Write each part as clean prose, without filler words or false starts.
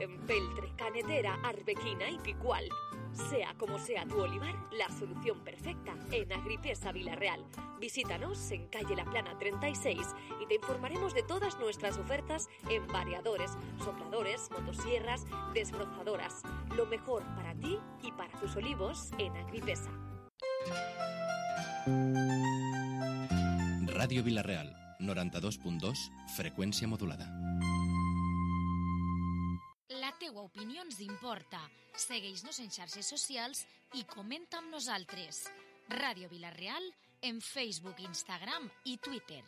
en peltre, canetera, arbequina y picual. Sea como sea tu olivar, la solución perfecta en Agripesa Villarreal. Visítanos en calle La Plana 36 y te informaremos de todas nuestras ofertas en variadores, sopladores, motosierras, desbrozadoras. Lo mejor para ti y para tus olivos en Agripesa. Ràdio Vilareal, 92.2, freqüència modulada. La teua opinió ens importa. Segueix-nos en xarxes socials i comenta amb nosaltres. Ràdio Vilareal en Facebook, Instagram i Twitter.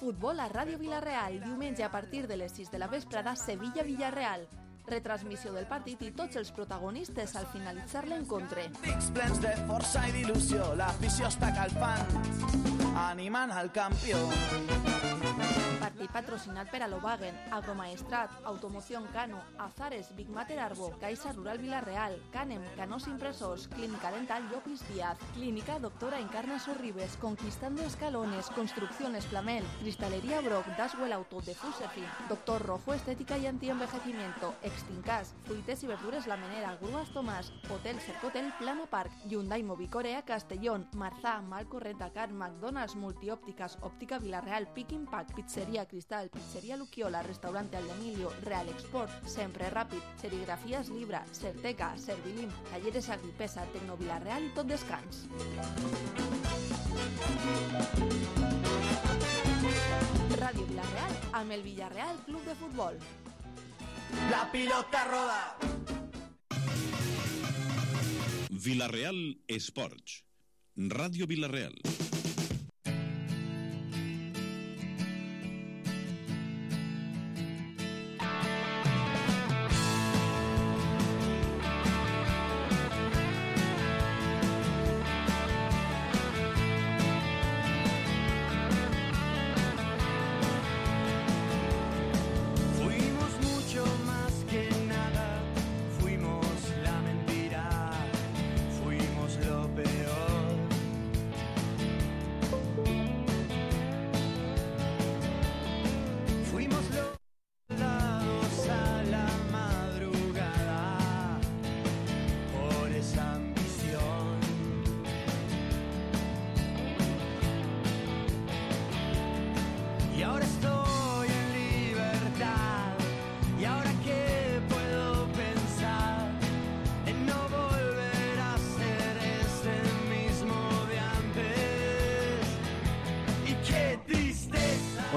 Futbol a Ràdio Vilareal, diumenge a partir de les 6 de la vesprada, Sevilla-Villarreal. Retransmissió del partit i tots els protagonistes al finalitzar l'encontre. Dics plens de força i d'il·lusió, l'afició està calfant, animant al campió. Partit patrocinat per Alobagen, Agromaestrat, Automoción Cano, Azares, Big Mater Arbo, Caixa Rural Vilareal, Canem, Canós Impresors, Clínica Dental Llopis Díaz, Clínica Doctora Encarna Sorribes, Conquistando Escalones, Construcciones Flamel, Cristalería Brock, Daswell Auto, de Fusefin, Doctor Rojo, Estética y Antienvejecimiento, Extincas, Fruites y Verdures La Menera, Grúas Tomás, Hotel Cercotel, Plano Park, Hyundai Movicorea, Castellón, Marzá, Malcorrenta Car, McDonald's, Multiópticas, Óptica Vilareal, Pick Impact, Pizzería Cristal, Pizzería Luquiola, Restaurante Aldemilio, Real Export, Sempre Ràpid, Serigrafías Libra, Certeca, Servilim, Talleres Agripesa, Tecno Vilareal i Tot Descans. Ràdio Vilareal amb el Villarreal Club de Futbol. La pilota roda. Vilareal Esports. Ràdio Vilareal.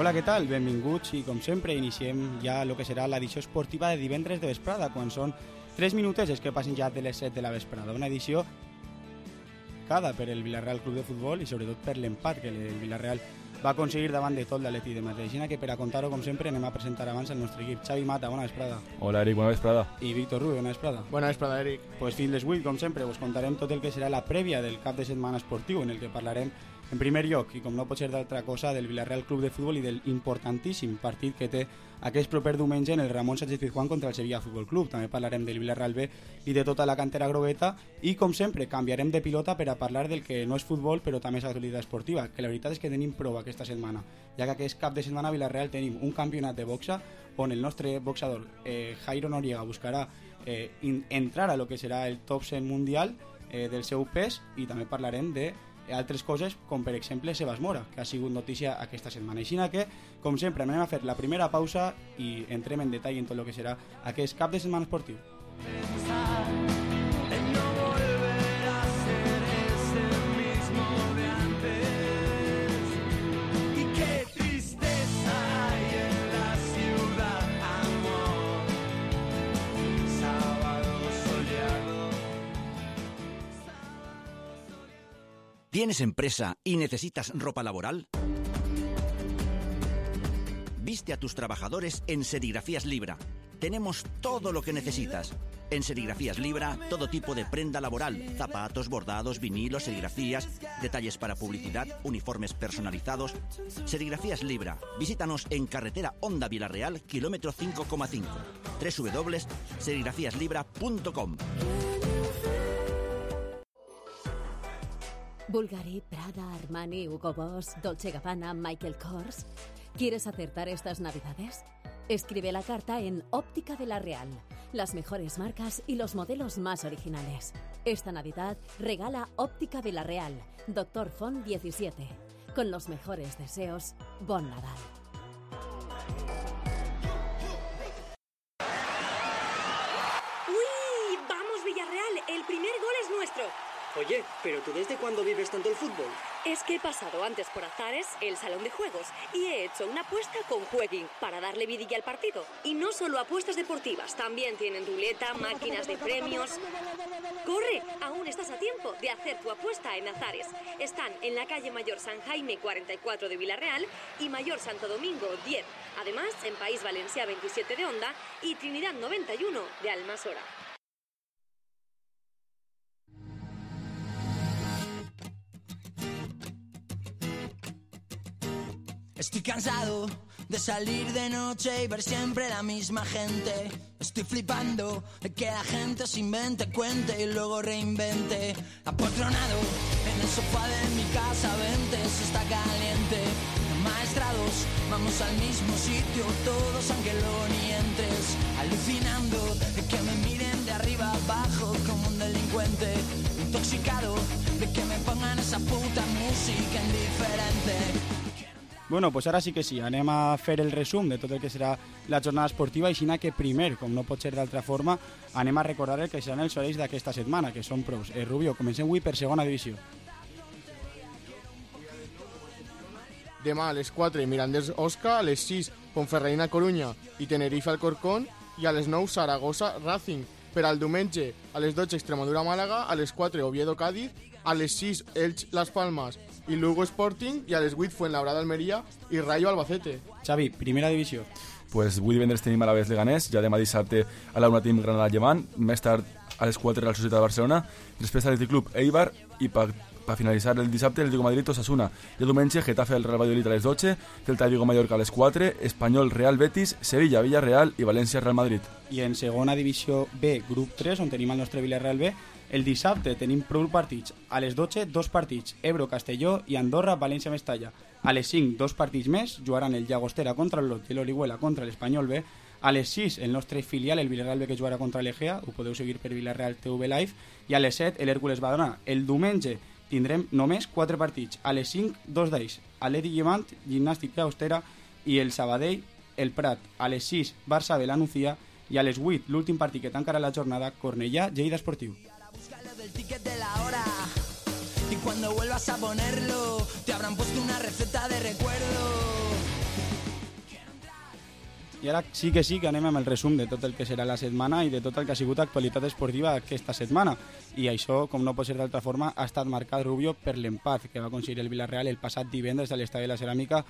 Hola, què tal? Benvinguts i, com sempre, iniciem ja el que serà l'edició esportiva de divendres de vesprada, quan són 3 minutets que passen ja de les 7 de la vesprada. Una edició marcada per el Villarreal Club de Futbol i sobretot per l'empat que el Villarreal va aconseguir davant de tot l'Atleti de Madrid. Així que per a contar-ho, com sempre, anem a presentar abans el nostre equip. Xavi Mata, bona vesprada. Hola, Eric, bona vesprada. I Víctor Rubio, bona vesprada. Bona vesprada, Eric. Pues fins les 8, com sempre, us contarem tot el que serà la prèvia del cap de setmana esportiu, en el que parlarem en primer lloc, i com no pot ser d'altra cosa, del Villarreal Club de Futbol i del importantíssim partit que té aquest proper diumenge en el Ramon Sánchez-Pizjuán contra el Sevilla Futbol Club. També parlarem del Villarreal B i de tota la cantera grogueta i, com sempre, canviarem de pilota per a parlar del que no és futbol però també és actualitat esportiva, que la veritat és que tenim prova aquesta setmana, ja que aquest cap de setmana a Villarreal tenim un campionat de boxa on el nostre boxador Jairo Noriega buscarà entrar a lo que serà el top 100 mundial del seu pes, i també parlarem de altres coses, com per exemple Sebas Mora, que ha sigut notícia aquesta setmana. Així que, com sempre, anem a fer la primera pausa i entrem en detall en tot el que serà aquest cap de setmana esportiu. ¿Tienes empresa y necesitas ropa laboral? Viste a tus trabajadores en Serigrafías Libra. Tenemos todo lo que necesitas. En Serigrafías Libra, todo tipo de prenda laboral, zapatos, bordados, vinilos, serigrafías, detalles para publicidad, uniformes personalizados. Serigrafías Libra. Visítanos en carretera Honda Vilareal, kilómetro 5,5. www.serigrafiaslibra.com. Bulgari, Prada, Armani, Hugo Boss, Dolce & Gabbana, Michael Kors. ¿Quieres acertar estas Navidades? Escribe la carta en Óptica Vilarreal. Las mejores marcas y los modelos más originales. Esta Navidad regala Óptica Vilarreal, Doctor Font 17. Con los mejores deseos, Bon Nadal. ¡Uy! ¡Vamos, Villarreal! El primer gol es nuestro. Oye, ¿pero tú desde cuándo vives tanto el fútbol? Es que he pasado antes por Azares, el salón de juegos, y he hecho una apuesta con Jueguin para darle vidilla al partido. Y no solo apuestas deportivas, también tienen ruleta, máquinas de premios. ¡Corre! Aún estás a tiempo de hacer tu apuesta en Azares. Están en la calle Mayor San Jaime 44 de Vilarreal y Mayor Santo Domingo 10. Además, en País Valencià 27 de Onda y Trinidad 91 de Almasora. Estoy cansado de salir de noche y ver siempre la misma gente. Estoy flipando de que la gente se invente, cuente y luego reinvente. Apotronado en el sofá de mi casa, vente, se está caliente. Maestrados, vamos al mismo sitio todos aunque luego ni entres. Alucinando de que me miren de arriba abajo como un delincuente. Intoxicado de que me pongan esa puta música indiferente. Bueno, pues ara sí que sí, anem a fer el resum de tot el que serà la jornada esportiva i així que primer, com no pot ser d'altra forma, anem a recordar el que seran els horaris d'aquesta setmana, que són prous. Rubio, comencem avui per segona divisió. Demà a les 4 Mirandés Osca, a les 6 Ponferradina Corunya i Tenerife Alcorcón i a les 9 Saragossa Racing. Per al diumenge a les 12 Extremadura Màlaga, a les 4 Oviedo Cádiz, a les 6 Elx Las Palmas i Lugo Sporting i a les 8 Fuenlabrada Almeria i Rayo Albacete. Xavi, primera divisió. Pues avui divendres tenim Alavés Leganés, ja demà dissabte a la 1 tenim Granada Llevant, més tard a les 4 la Societat de Barcelona, després Atlètic Club Eibar i per finalitzar el dissabte el Diego Madrid Osasuna. I el diumenge Getafe el Real Valladolid a les 12, Celta Vigo Mallorca a les 4, Espanyol Real Betis, Sevilla Villarreal i València Real Madrid. I en segona divisió B, grup 3, on tenim el nostre Villarreal B, el dissabte tenim prou partits. A les 12, 2 partits, Ebro, Castelló i Andorra, València, Mestalla. A les 5, 2 partits més, jugaran el Llagostera contra el Lot i l'Orihuela contra l'Espanyol B. A les 6, el nostre filial, el Villarreal B, que jugarà contra l'Egea, ho podeu seguir per Villarreal TV Live. I a les 7, l'Hèrcules Badalona. El diumenge tindrem només 4 partits. A les 5, 2 d'ells, Atlètic Llevant, Gimnàstic Llagostera i el Sabadell, el Prat. A les 6, Barça B, la Nucía. I a les 8, l'últim partit que tancarà la jornada, Cornellà, Lleida Esportiu. Del ticket de la hora y cuando vuelvas a ponerlo te habrán puesto una receta de recuerdo. I ara sí que anem amb el resum de tot el que serà la setmana i de tot el que ha sigut actualitat esportiva aquesta setmana. I això, com no pot ser d'altra forma, ha estat marcat, Rubio, per l'empat que va aconseguir el Villarreal el passat divendres a l'Estadi de la Ceràmica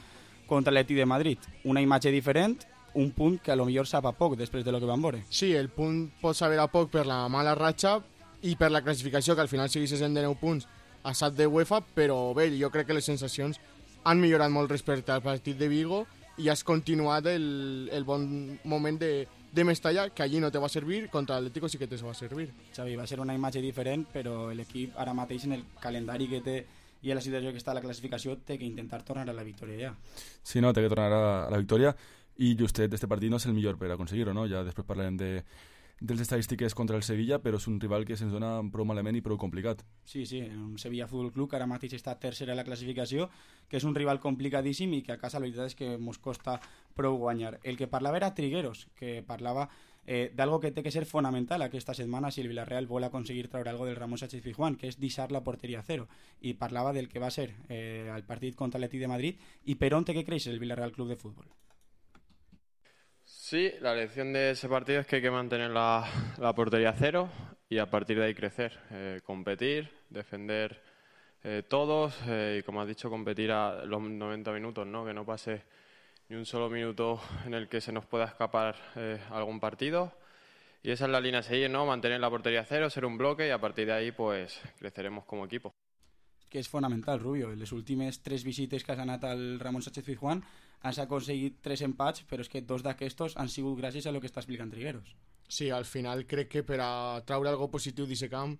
contra l'Atlètic de Madrid. Una imatge diferent, un punt que a lo millor sap a poc després de lo que vam veure. Sí, el punt pot saber a poc per la mala ratxa i per la classificació, que al final seguís sent de 9 punts a 7 de UEFA, però bé, jo crec que les sensacions han millorat molt respecte al partit de Vigo i has continuat el bon moment de Mestalla, que allí no te va servir, contra l'Atlético sí que te va servir. Xavi, va ser una imatge diferent, però l'equip ara mateix en el calendari que té i en la situació que està a la classificació té que intentar tornar a la victòria ja. Sí, no, té que tornar a la victòria i justet este partit no és el millor per aconseguir-ho, no? Ja després parlarem dels estadístiques contra el Sevilla, però és un rival que se'ns dona prou malament i prou complicat. Sí, un Sevilla Futbol Club que ara mateix està tercera a la classificació, que és un rival complicadíssim i que a casa la veritat és que ens costa prou guanyar. El que parlava era Trigueros, que parlava d'algo que té que ser fonamental aquesta setmana si el Villarreal vol aconseguir treure algo del Ramón Sánchez Pizjuán, que és deixar la porteria a cero, i parlava del que va ser el partit contra l'Atlètic de Madrid i per on té que créixer el Villarreal Club de Fútbol. Sí, la lección de ese partido es que hay que mantener la portería a cero y a partir de ahí crecer, competir, defender todos y como has dicho, competir a los 90 minutos, ¿no? Que no pase ni un solo minuto en el que se nos pueda escapar algún partido y esa es la línea a seguir, ¿no? Mantener la portería a cero, ser un bloque y a partir de ahí pues creceremos como equipo. Que és fonamental, Rubio. En les últimes 3 visites que has anat al Ramón Sánchez Pizjuán has aconseguit 3 empats, però és que 2 d'aquestos han sigut gràcies a lo que està explicant Trigueros. Sí, al final crec que per a traure algo positiu d'aquest camp,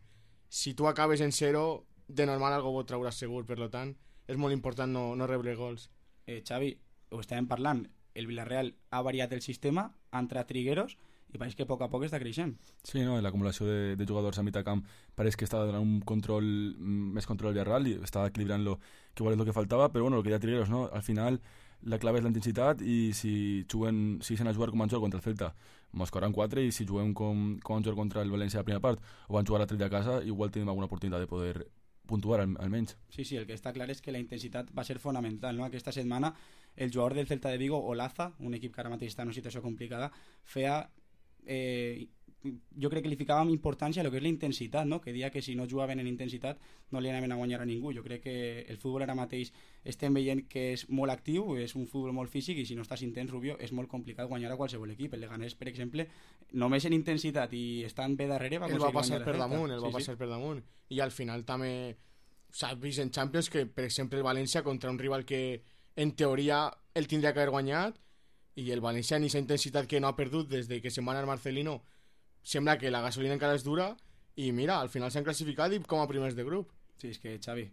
si tu acabes en 0, de normal algo ho trauràs segur, per tant és molt important no rebre gols. Xavi, ho estàvem parlant, el Villarreal ha variat el sistema, ha entrat Trigueros i pareix que a poc està creixent. Sí, no? L'acumulació de jugadors a mitjà camp pareix que està donant un control, més control al Villarreal i està equilibrant-lo, que igual és el que faltava, però bueno, el que deia Trigueros, no? Al final la clave és la intensitat i si se a jugar com van jugar contra el Celta mos corran 4 i si juguem com van jugar contra el València a la primera part o van jugar a 3 de casa, igual tenim alguna oportunitat de poder puntuar almenys. Sí, el que està clar és que la intensitat va ser fonamental, no? Aquesta setmana el jugador del Celta de Vigo, Olaza, un equip que ara mateix està en una situació complicada, feia jo crec que li ficàvem importància a lo que és la intensitat, no? Que dia que si no jugaven en intensitat no li anaven a guanyar a ningú. Jo crec que el futbol ara mateix estem veient que és molt actiu, és un futbol molt físic i si no estàs intens, Rubio, és molt complicat guanyar a qualsevol equip. El Leganés, per exemple, només en intensitat i estant bé darrere el va passar per damunt i al final també s'ha vist en Champions que, per exemple, el València contra un rival que en teoria el tindria que haver guanyat i el València en aquesta intensitat que no ha perdut des de que se'n va anar Marcelino sembla que la gasolina encara és dura i mira, al final s'han classificat i com a primers de grup. Sí, és que Xavi,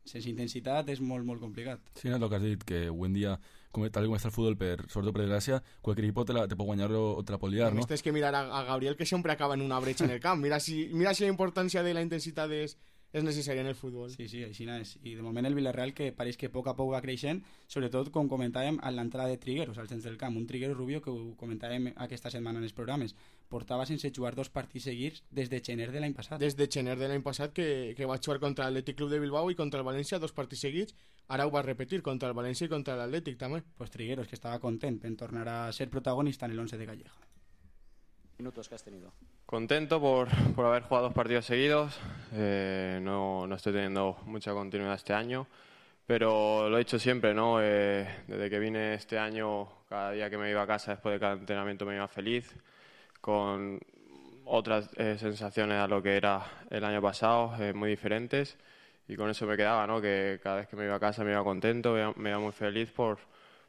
sense intensitat és molt, molt complicat. Sí, no és el que has dit, que avui en dia tal com està el futbol, sobretot per desgràcia, qualsevol equip te pot guanyar o te la pot liar, no? Tens que mirar a Gabriel, que sempre acaba en una bretxa en el camp. Mira si la importància de la intensitat és necessària en el futbol. Sí, així és. I de moment el Villarreal que pareix que a poc va creixent, sobretot com comentàvem a l'entrada de Trigueros al centre del camp, un Trigueros Rubio que ho comentàvem aquesta setmana en els programes, portava sense jugar 2 partits seguits des de gener de l'any passat. Des de gener de l'any passat que va jugar contra l'Atlètic Club de Bilbao i contra el València 2 partits seguits, ara ho va repetir contra el València i contra l'Atlètic també. Pues Trigueros, que estava content en tornar a ser protagonista en el 11 de Calleja. Minutos que has tenido. Contento por haber jugado 2 partidos seguidos. No estoy teniendo mucha continuidad este año, pero lo he dicho siempre, ¿no? Desde que vine este año, cada día que me iba a casa después de cada entrenamiento me iba feliz, con otras sensaciones a lo que era el año pasado, muy diferentes, y con eso me quedaba, ¿no? Que cada vez que me iba a casa me iba contento, me iba muy feliz por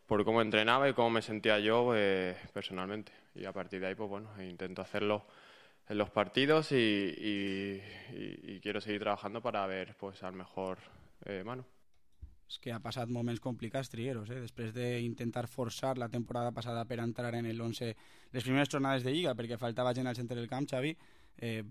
cómo entrenaba y cómo me sentía yo personalmente. Y a partir de ahí, pues bueno, intento hacerlo en los partidos y quiero seguir trabajando para ver pues al mejor Manu. És que ha passat moments complicats Trigueros, després d'intentar forçar la temporada passada per entrar en el 11 les primeres jornades de Lliga perquè faltava gent al centre del camp, Xavi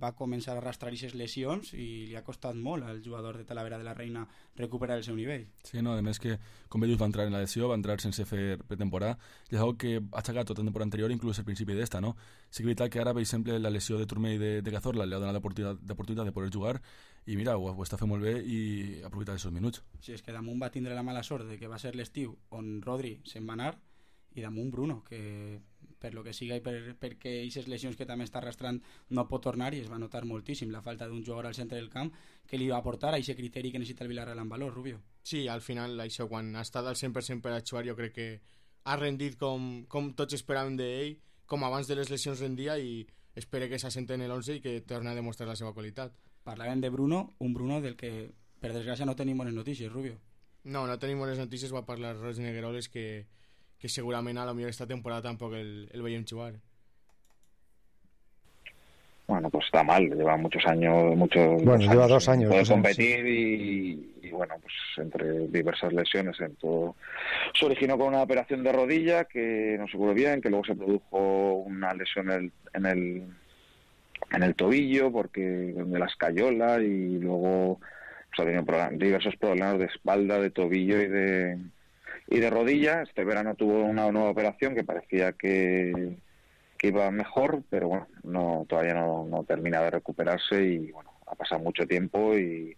va començar a arrastrar aquestes lesions i li ha costat molt al jugador de Talavera de la Reina recuperar el seu nivell. Sí, no, a més que, com bé dius, va entrar en la lesió, va entrar sense fer pretemporada, i és una que ha aixecat tota la temporada anterior, inclús al principi d'esta, no? Sí que és veritat que ara, per exemple, la lesió de Turmell i de Cazorla li ha donat l'oportunitat de poder jugar i mira, ho està fent molt bé i ha aprofitat els minuts. Sí, és que damunt va tindre la mala sort de que va ser l'estiu on Rodri se'n va anar i damunt Bruno, que per lo que siga i perquè aquestes lesions que també està arrastrant no pot tornar i es va notar moltíssim la falta d'un jugador al centre del camp que li va aportar a aquest criteri que necessita el Villarreal en valor, Rubio. Sí, al final això quan ha estat al 100% per a jugar jo crec que ha rendit com tots esperàvem d'ell, com abans de les lesions rendia i espero que s'assente en l'11 i que torni a demostrar la seva qualitat. Parlàvem de Bruno, un Bruno del que per desgràcia no tenim bones notícies, Rubio. No tenim bones notícies, va parlar Roig Negueroles que segurament a lo millor esta temporada tampoc el veiem jugar. Bueno, pues está mal, lleva muchos años. Lleva 2 años. Puede competir y bueno, pues entre diversas lesiones, todo se originó con una operación de rodilla que no se curó bien, que luego se produjo una lesión en el tobillo porque de la escayola y luego pues, ha tenido diversos problemas de espalda, de tobillo y de rodilla. Este verano tuvo una nueva operación que parecía que iba mejor, pero bueno, todavía no termina de recuperarse y bueno, ha pasado mucho tiempo y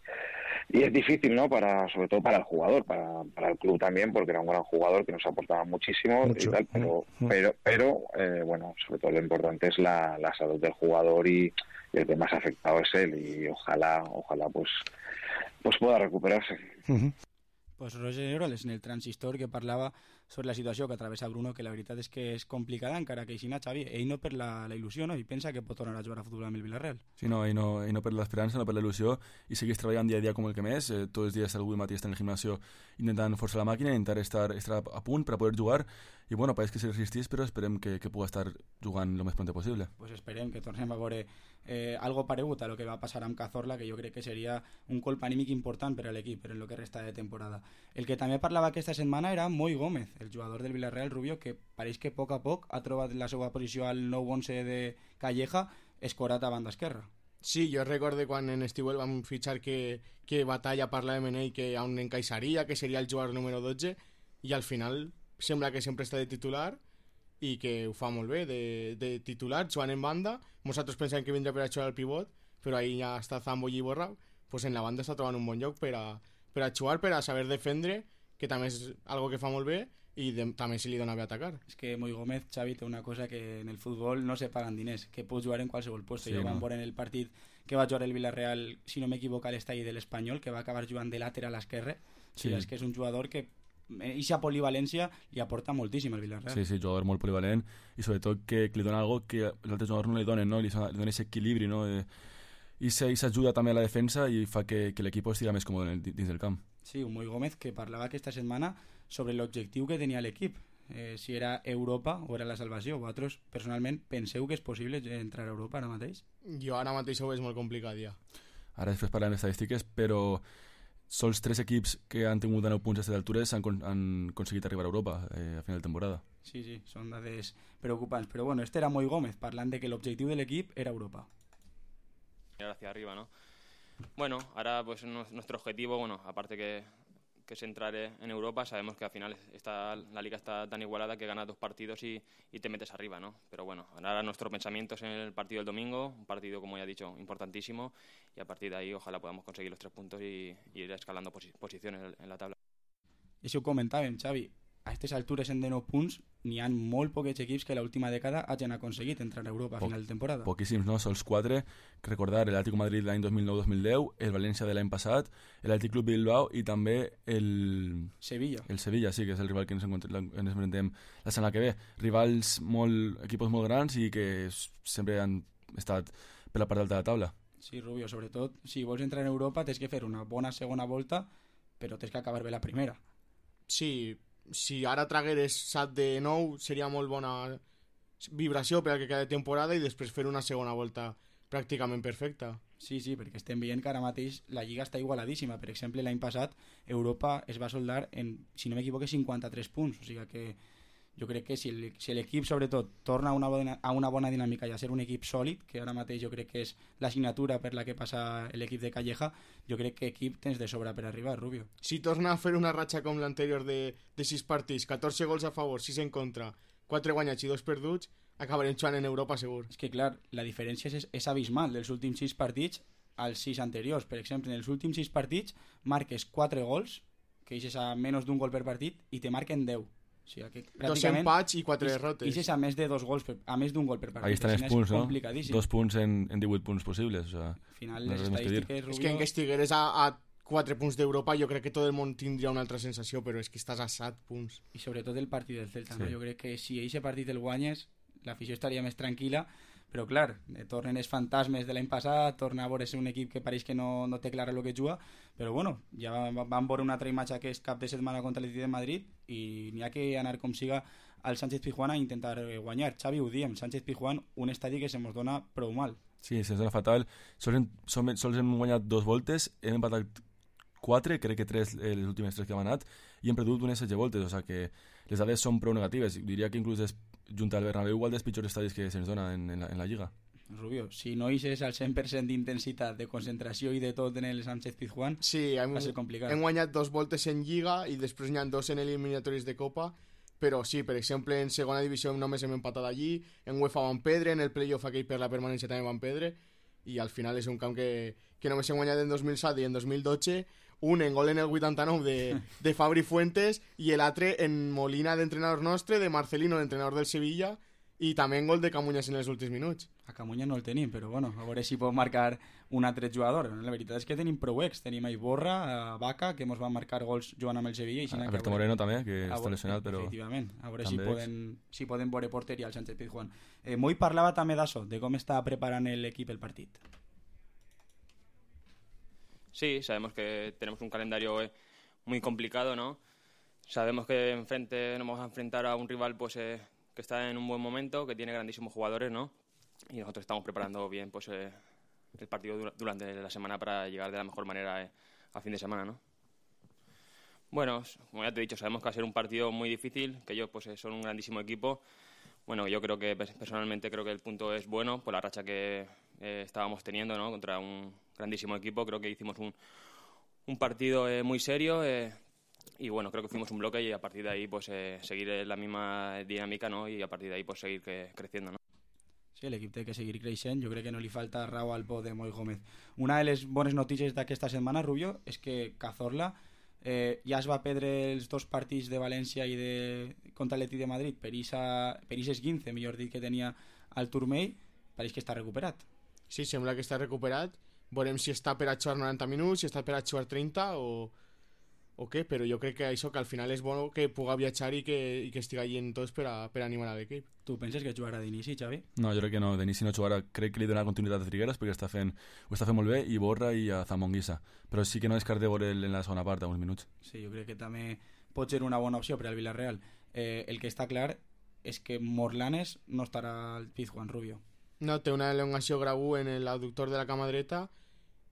es difícil, ¿no? Sobre todo para el jugador, para el club también, porque era un gran jugador que nos aportaba muchísimo y tal, pero bueno, sobre todo lo importante es la salud del jugador y el que más afectado es él y ojalá pues pueda recuperarse. Pues Roger Negueroles en el Transistor que parlava sobre la situació que travessa Bruno, que la veritat és que és complicada, encara que així Xavi, ell no per la il·lusió, no? I pensa que pot tornar a jugar a futbol amb el Villarreal. Sí, no, ell no per l'esperança, no per la il·lusió, i segueix treballant dia a dia com el que més, tots els dies algú matí està en el gimnasio intentant forçar la màquina, intentar estar a punt per a poder jugar, i bueno, pareix que s'hi resistís, però esperem que pugui estar jugant el més pront possible. Pues esperem que tornem a veure algo paregut a lo que va passar amb Cazorla, que jo crec que seria un colp anímic important per a l'equip, per en el que resta de temporada. El que també parlava aquesta setmana era Moi Gómez, el jugador del Villarreal, Rubio, que pareix que a poc ha trobat la seva posició al nou 11 de Calleja, escorat a banda esquerra. Sí, jo recordo quan en estiu el vam fitxar que Batalla parlava amb ell que on encaixaria, que seria el jugador número 12, i al final sembla que sempre està de titular i que ho fa molt bé de titular, jugant en banda. Nosaltres pensàvem que vindria per a jugar al pivot, però ahí ja està Zambo i Iborra, pues en la banda està trobant un bon lloc per a jugar, per a saber defendre, que també és algo que fa molt bé, i també se li dona bé atacar. És que Moi Gómez, Xavi, té una cosa que en el futbol no se paguen diners, que pot jugar en qualsevol lloc. Sí, jo vam veure en el partit que va jugar el Villarreal, si no m'equivoco, a l'estadi de l'Espanyol, que va acabar jugant de lateral esquerre. Sí. És que és un jugador que eixa polivalència li aporta moltíssim al Villarreal. Sí, jugador molt polivalent, i sobretot que li dona algo que els altres jugadors no li donen, no? Li dona aquest equilibri, no? I s'ajuda també a la defensa i fa que l'equip estigui més còmode dins del camp. Sí, un Moi Gómez que parlava aquesta setmana sobre l'objectiu que tenia l'equip, si era Europa o era la salvació. Vosaltres, personalment, penseu que és possible entrar a Europa ara mateix? Jo ara mateix ho veig molt complicat, ja. Ara després parlem d'estadístiques, però sols 3 equips que han tingut 9 punts a aquestes altures han aconseguit arribar a Europa a final de temporada. Sí, són dades preocupants. Però bueno, este era Moi Gómez, parlant de que l'objectiu de l'equip era Europa. Mirar hacia arriba, ¿no? Bueno, ahora pues nuestro objetivo, bueno, aparte que es entrar en Europa, sabemos que al final la liga está tan igualada que ganas 2 partidos y te metes arriba, ¿no? Pero bueno, ahora nuestro pensamiento es en el partido del domingo, un partido, como ya he dicho, importantísimo, y a partir de ahí ojalá podamos conseguir los 3 puntos y ir escalando posiciones en la tabla. I això ho comentàvem, Xavi, a aquestes altures en de 9 punts n'hi ha molt pocs equips que l'última dècada hagin aconseguit entrar a Europa a final de temporada. Poquíssims, no? Sols 4. Recordar el Atlético Madrid l'any 2009-2010, el València de l'any passat, l'Atlètic Club Bilbao i també el Sevilla. El Sevilla, sí, que és el rival que ens enfrontem la setmana que ve. Rivals equipos molt grans i que sempre han estat per la part alta de la taula. Sí, Rubio, sobretot, si vols entrar en Europa tens que fer una bona segona volta, però tens que acabar bé la primera. Sí, si ara tragueres 7 de 9 seria molt bona vibració per al que queda de temporada i després fer una segona volta pràcticament perfecta. Sí, perquè estem veient que ara mateix la Lliga està igualadíssima. Per exemple, l'any passat Europa es va soldar en, si no m'equivoco, 53 punts. O sigui que jo crec que si l'equip sobretot torna a una bona dinàmica i a ser un equip sòlid, que ara mateix jo crec que és l'assignatura per la que passa l'equip de Calleja, jo crec que equip tens de sobra per arribar, Rubio. Si torna a fer una ratxa com l'anterior de 6 partits, 14 gols a favor, 6 en contra, 4 guanyats i 2 perduts, acabarem jugant en Europa segur. És que clar, la diferència és abismal dels últims 6 partits als 6 anteriors. Per exemple, en els últims 6 partits marques 4 gols, que eixes a menys d'un gol per partit, i te marquen 10. O sigui, que 2 empats i 4 derrotes. Ixes a més d'un gol per partit. Ahí estan els punts, no? 2 punts en 18 punts possibles. O sea, al final, les estadístiques, Rubio... És que en que estigueres a 4 punts d'Europa jo crec que tot el món tindria una altra sensació, però és que estàs a 7 punts. I sobretot el partit del Celta, sí. No? Jo crec que si aquest partit el guanyes, l'afició estaria més tranquil·la, però clar, tornen els fantasmes de l'any passat, torna a veure un equip que pareix que no té clara el que juga, però bueno, ja vam veure una altra imatge aquest cap de setmana contra l'Atlètic de Madrid i n'hi ha que anar com siga al Sánchez Pizjuán a intentar guanyar. Xavi, ho diem, Sánchez Pizjuán, un estadi que se mos dona prou mal. Sí, se'ns dona fatal. Sols hem guanyat 2 voltes, hem empatat 4, crec que 3 les últimes 3 que hem anat, i hem perdut unes 16 voltes, o sigui que les dades són prou negatives. Diria que inclús junt al Bernabéu igual dels pitjors estadis que se'ns dona en la Lliga. Rubio, si no eixes al 100% d'intensitat, de concentració i de tot en el Sánchez Pizjuán, sí, va ser complicat. Hem guanyat 2 voltes en Lliga i després n'hi ha 2 en eliminatoris de Copa, però sí, per exemple, en segona divisió només hem empatat allí, en UEFA van perdre, en el playoff aquell per la permanència també van perdre, i al final és un camp que només hem guanyat en 2007 i en 2012, un en gol en el 89 de Fabri Fuentes i l'altre en Molina d'entrenador nostre, de Marcelino, l'entrenador del Sevilla, i també en gol de Camuñas en els últims minuts. A Camuñas no el tenim, però bueno, a veure si pot marcar un altre jugador. La veritat és que tenim prou ex, tenim a Iborra, a Vaca, que ens van marcar gols jugant amb el Sevilla. I Alberto Moreno també, que està lesionat, però... Efectivament, a veure si poden veure porteria al Sánchez Pizjuán. Moi parlava també d'això, de com està preparant l'equip el partit. Sí, sabemos que tenemos un calendario muy complicado, ¿no? Sabemos que enfrente nos vamos a enfrentar a un rival pues que está en un buen momento, que tiene grandísimos jugadores, ¿no? Y nosotros estamos preparando bien pues el partido durante la semana para llegar de la mejor manera a fin de semana, ¿no? Bueno, como ya te he dicho, sabemos que va a ser un partido muy difícil, que ellos pues son un grandísimo equipo. Bueno, yo creo que personalmente creo que el punto es bueno por la racha que estábamos teniendo, ¿no? Contra un grandísimo equipo. Creo que hicimos un partido muy serio y bueno, creo que fuimos un bloque y a partir de ahí pues seguir la misma dinámica, ¿no? Y a partir de ahí pues seguir creciendo, ¿no? Sí, l'equip té que seguir creixent. Jo crec que no li falta raó al bo de Moi Gómez. Una de les bones notícies d'aquesta setmana, Rubio, és que Cazorla ja es va perdre els 2 partits de València i contra l'Atlètic de Madrid per ixes 15, millor dit, que tenia al turmell. Pareix que està recuperat. Sí, sembla que està recuperat. Veurem si està per a jugar 90 minuts, si està per a jugar 30 o què, però jo crec que això, que al final és bo que puga viatjar i que estigui allí en tots per animar a l'equip. Tu penses que jugarà d'inici, Xavi? No, jo crec que no, d'inici no jugarà. Crec que li donarà continuïtat a Trigueras perquè ho està fent molt bé, i Borra i a Zamonguissa, però sí que no descarte veure'l en la segona part, a uns minuts. Sí, jo crec que també pot ser una bona opció per al Villarreal. El que està clar és que Morlanes no estarà al Pizjuán, Rubio. No, té una elongació grau en l'adductor de la cama dreta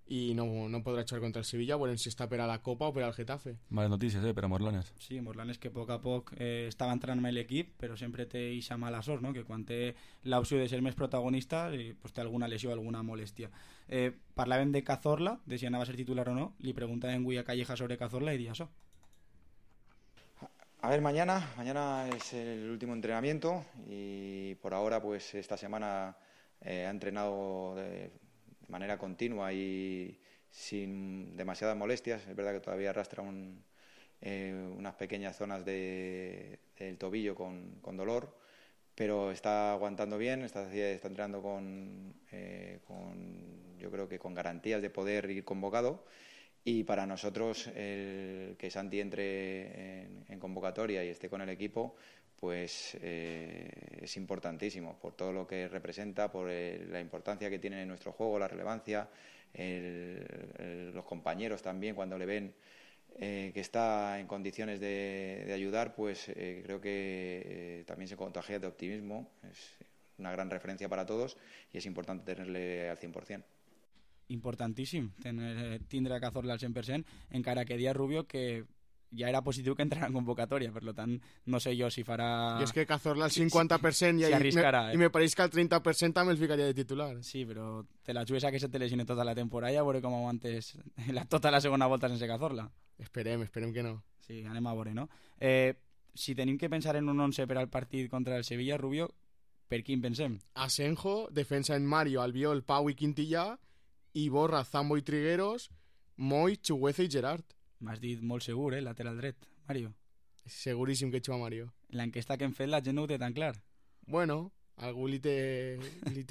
i no podrà jugar contra el Sevilla. Veurem si està per a la Copa o per al Getafe. Males notícies, per a Morlanes. Sí, Morlanes que a poc estava entrant amb l'equip, però sempre té eixa mala sort, no? Que quan té l'opció de ser més protagonista pues té alguna lesió, alguna molèstia. Parlàvem de Cazorla, de si anava a ser titular o no. Li preguntàvem avui a Calleja sobre Cazorla i dia això. A ver, mañana es el último entrenamiento y por ahora pues esta semana ha entrenado de manera continua y sin demasiadas molestias. Es verdad que todavía arrastra unas pequeñas zonas del tobillo con dolor, pero está aguantando bien, está entrenando yo creo que con garantías de poder ir convocado. Y para nosotros el que Santi entre en convocatoria y esté con el equipo pues es importantísimo por todo lo que representa, por la importancia que tiene en nuestro juego, la relevancia, los compañeros también cuando le ven que está en condiciones de ayudar, pues creo que también se contagia de optimismo. Es una gran referencia para todos y es importante tenerle al 100%. Importantíssim tindre a Cazorla al 100%, encara que dia Rubio que ja era positiu que entrarà en convocatòria, per tant no sé jo si farà... I és que Cazorla al 50% si arriscarà, i me pareix que al 30% també el ficaria de titular. Sí, però te la jugues a que se te lesione tota la temporada, a veure com aguantes tota la segona volta sense Cazorla. Esperem que no. Sí, anem a veure, no? Si tenim que pensar en un 11 per al partit contra el Sevilla, Rubio, per quin pensem? Asenjo, defensa en Mario, Albiol, Pau i Quintillà, i Borra, Zambo i Trigueros, Moi, Chugueza i Gerard. M'has dit molt segur, lateral dret, Mario. Seguríssim que juga Mario. L'enquesta que hem fet la gent no ho té tan clar. Bueno, algú li té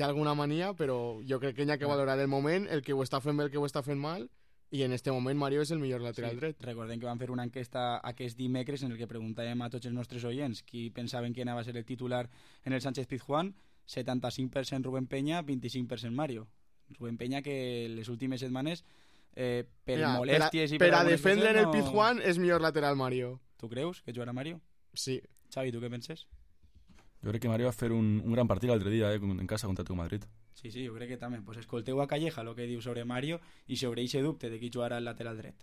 alguna mania, però jo crec que hi ha que valorar el moment, el que ho està fent bé, el que ho està fent mal, i en este moment Mario és el millor lateral dret. Recordem que vam fer una enquesta aquest dimecres en el que preguntàvem a tots els nostres oients qui pensaven que anava a ser el titular en el Sánchez Pizjuán. 75% Rubén Peña, 25% Mario. Rubén Peña que les últimes setmanes per molèsties i per a defendre en el Pizjuán és millor lateral Mario. Tu creus que jugarà Mario? Sí. Xavi, tu què penses? Jo crec que Mario va fer un gran partit l'altre dia en casa contra el Madrid. Sí, jo crec que també. Pues escolteu a Calleja lo que diu sobre Mario y sobre ese dubte de qui jugarà el lateral dret.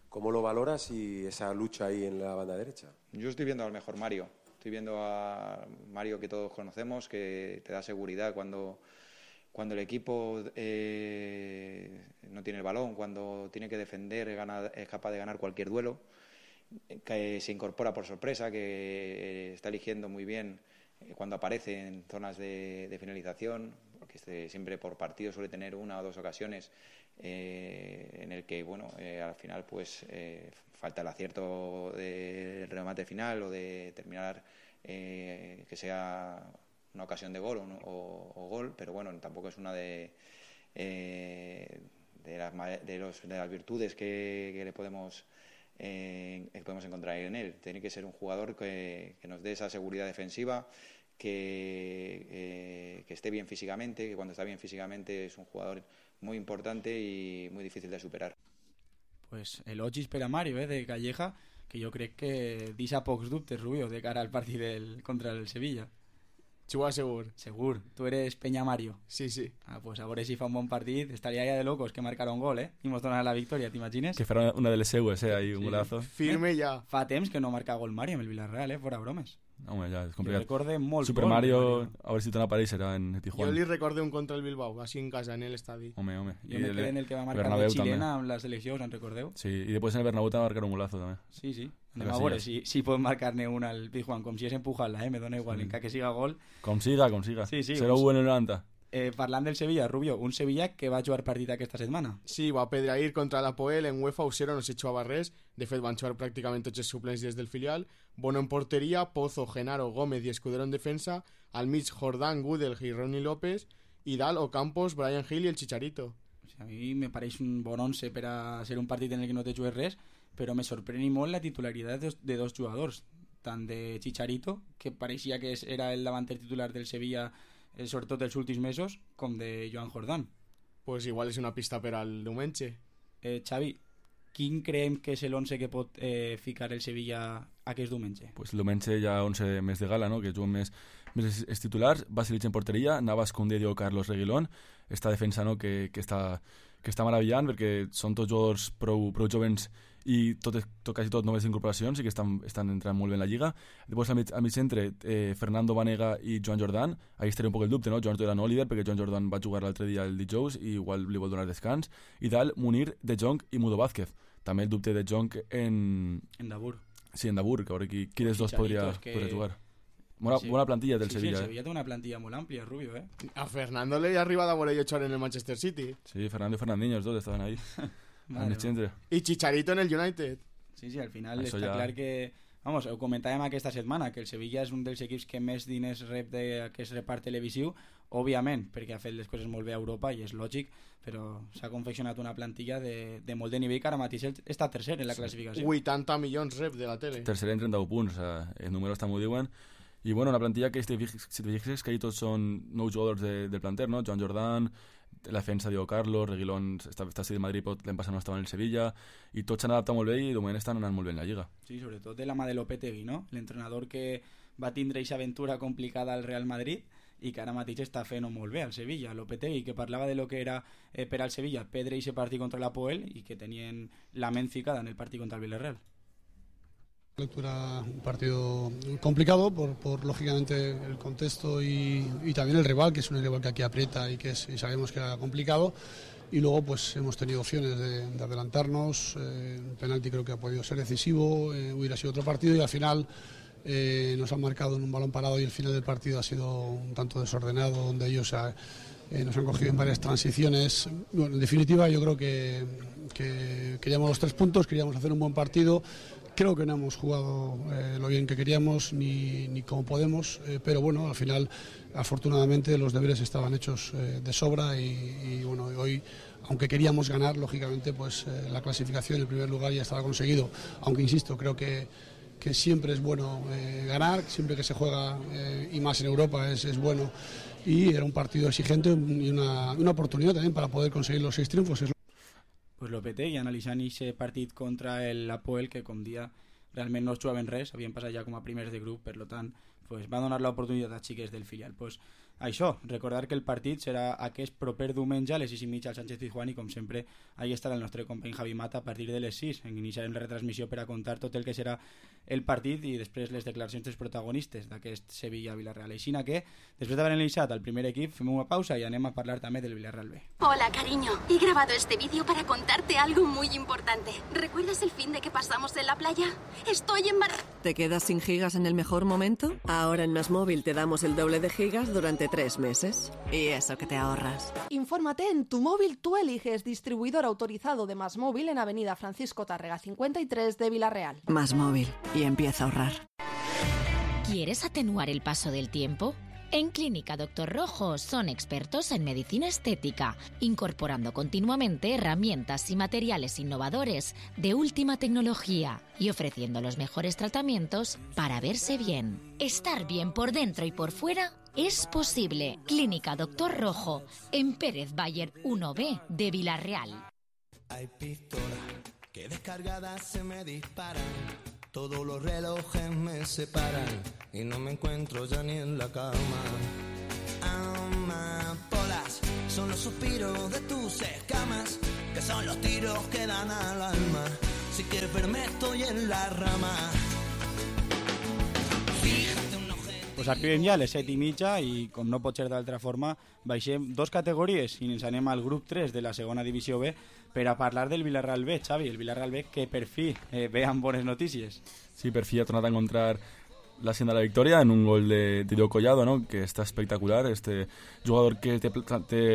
¿Cómo lo valoras y esa lucha ahí en la banda derecha? Yo estoy viendo al mejor Mario. Estoy viendo a Mario que todos conocemos, que te da seguridad cuando el equipo no tiene el balón, cuando tiene que defender, es capaz de ganar cualquier duelo, que se incorpora por sorpresa, que está eligiendo muy bien cuando aparece en zonas de finalización, porque siempre por partido suele tener una o dos ocasiones en el que al final pues falta el acierto del remate final o de terminar que sea una ocasión de gol o gol, pero bueno, tampoco es una de las virtudes que le podemos encontrar en él. Tiene que ser un jugador que nos dé esa seguridad defensiva, que esté bien físicamente, que cuando está bien físicamente es un jugador muy importante y muy difícil de superar. Pues elogis per a Mario, de Calleja, que jo crec que deixa pocs dubtes, Rubio, de cara al partit contra el Sevilla. Juga segur. Segur. Tu eres Peña Mario. Sí, sí. Pues a veure si fa un bon partit. Estaria ja de locos que marcar un gol, i mos donar la victòria, t'imagines? Que farà una de les seues, ahí un golazo. Firme ja. Fa temps que no marca gol Mario amb el Villarreal, fora bromes. Home, ja, és complicat. Jo recorde molt Super Mario, a veure si torna a aparèixer en Tijuana. Jo li recorde un contra el Bilbao, així en casa, en l'estadi. Home. Jo me quedé en el que va marcar de xilena amb la selecció, us en recordeu? Sí, i després en el Bernabéu va marcar un golazo també. Sí. Anem a veure si pot marcar-ne un al Tijuana, com si és empujar-la, me dona igual, encara que siga gol. Com siga. Sí, 0-1 en el 90. Parlant del Sevilla, Rubio, un Sevilla que va jugar partit aquesta setmana. Sí, va pedreir contra l'Apoel en UEFA U0, no s'hi jugava res. De fet, van jugar pràcticament tots els suplents des del filial. Bono en porteria, Pozo, Genaro, Gómez i Escudero en defensa. Al mig, Jordán, Gudel i Ronnie López. I dalt, Ocampos, Brian Hill i el Chicharito. A mi me pareix un bon 11 per a ser un partit en el que no te jugues res, però me sorprèn molt la titularitat de dos jugadors, tant de Chicharito, que pareixia que era el davanter titular del Sevilla sobretot els últims mesos, com de Joan Jordán. Pues igual és una pista per al diumenge. Xavi, quin creiem que és l'11 que pot ficar el Sevilla aquest diumenge? Pues el diumenge hi ha 11 més de gala, no? Que juguen més els titulars. Basilitz en porteria, Navas, Koundé, Diego Carlos, Reguilón. Esta defensa, no? que està meravellant, perquè són tots jugadors prou jovens i quasi tot noves incorporacions i que estan entrant molt bé en la Lliga. Després al mig centre, Fernando Vanega i Joan Jordan. Ahí estaria un poc el dubte, no? Joan Jordan no líder, perquè Joan Jordan va jugar l'altre dia el dijous i igual li vol donar descans. I dalt, Munir, De Jong i Mudo Vázquez. També el dubte de Jong en Dabur. Sí, en Dabur, que a veure qui dels dos podria jugar. Bona plantilla del Sevilla. Sí, el Sevilla té una plantilla molt àmplia, Rubio, A Fernando le arriba de voler jugar en el Manchester City. Sí, Fernando y Fernandinho, els dos estaven ahí. I Chicharito en el United. Sí, al final això està clar que... Vamos, ho comentàvem aquesta setmana, que el Sevilla és un dels equips que més diners rep d'aquest repart televisiu, òbviament, perquè ha fet les coses molt bé a Europa i és lògic, però s'ha confeccionat una plantilla de molt de nivell que ara mateix està tercer en la classificació. 80 milions rep de la tele. Tercer en 31 punts, els números també ho diuen. I bueno, una plantilla que, si te fixes, que ahí tots són nous jugadors del planter, no? Joan Jordan, la defensa Diego Carlos, Reguilón està a Madrid, l'any passat no estava en el Sevilla, i tots s'han adaptat molt bé i de moment estan anant molt bé en la Lliga. Sí, sobretot de la mà de Lopetegui, no? L'entrenador que va tindre aquesta aventura complicada al Real Madrid i que ara mateix està fent molt bé al Sevilla. Lopetegui, que parlava de lo que era per al Sevilla perdre aquest partit contra l'Apoel i que tenien la ment ficada en el partit contra el Villarreal. Lectura un partido complicado por lógicamente el contexto y también el rival, que es un rival que aquí aprieta y y sabemos que era complicado, y luego pues hemos tenido opciones de adelantarnos, el penalti creo que ha podido ser decisivo, hubiera sido otro partido y al final nos han marcado en un balón parado y el final del partido ha sido un tanto desordenado, donde ellos nos han cogido en varias transiciones. Bueno, en definitiva yo creo que queríamos los 3 puntos, queríamos hacer un buen partido. Creo que no hemos jugado lo bien que queríamos ni como podemos, pero bueno, al final afortunadamente los deberes estaban hechos de sobra y bueno, hoy, aunque queríamos ganar, lógicamente pues la clasificación en primer lugar ya estaba conseguido, aunque insisto, creo que siempre es bueno ganar, siempre que se juega y más en Europa es bueno, y era un partido exigente y una oportunidad también para poder conseguir los 6 triunfos. Pues Lopetegui analitzant aquest partit contra l'Apoel, que com dia realment no es jugaven res, havien passat ja com a primers de grup, per tant pues, va donar l'oportunitat a xiques del filial. Pues, això, recordar que el partit serà aquest proper diumenge a les 6:30 al Sánchez Pizjuán i com sempre ahí estarà el nostre company Javi Mata a partir de les 6. Iniciarem la retransmissió per a contar tot el que serà el partit i després les declaracions dels protagonistes d'aquest Sevilla-Villarreal. Així que, després d'haver analitzat el primer equip, fem una pausa i anem a parlar també del Villarreal B. Hola, cariño. He grabado este vídeo para contarte algo muy importante. ¿Recuerdas el fin de que pasamos en la playa? Estoy embarazada. ¿Te quedas sin gigas en el mejor momento? Ahora en MásMóvil te damos el doble de gigas durante 3 meses. Y eso que te ahorras. Infórmate en Tu Móvil Tú Eliges, distribuidor autorizado de MásMóvil en Avenida Francisco Tárrega 53 de Villarreal. MásMóvil. Y empieza a ahorrar. ¿Quieres atenuar el paso del tiempo? En Clínica Doctor Rojo son expertos en medicina estética, incorporando continuamente herramientas y materiales innovadores de última tecnología y ofreciendo los mejores tratamientos para verse bien. Estar bien por dentro y por fuera es posible. Clínica Doctor Rojo, en Pérez Bayer 1B de Villarreal. Hay pistolas que descargadas se me disparan. Todos los relojes me separan y no me encuentro ya ni en la cama. Amapolas son los suspiros de tus escamas, que son los tiros que dan al alma. Si quieres verme estoy en la rama. Pues arribem ja a les 7:30 i, com no pot ser d'altra forma, baixem 2 categories i ens anem al grup 3 de la segona divisió B per a parlar del Villarreal B, Xavi, el Villarreal B que per fi ve amb bones notícies. Sí, per fi ha tornat a encontrar la senda de la victòria en un gol de Diego Collado, ¿no? Que està espectacular, este jugador que té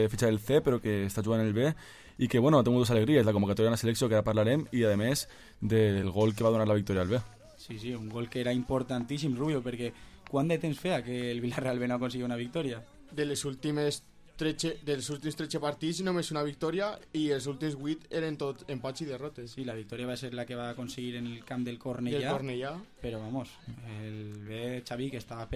fitxa del C però que està jugant en el B i que, bueno, ha tingut dues alegries, la convocatòria en la selecció, que ara parlarem, i a més del gol que va donar la victòria al B. Sí, un gol que era importantíssim, Rubio, perquè quant de temps feia que el Villarreal B no aconseguia una victòria? Dels últims 13 partits només una victòria i els últims 8 eren tot empats i derrotes. Sí, la victòria va ser la que va aconseguir en el camp del Cornellà. Però vamos, el B, Xavi, que estava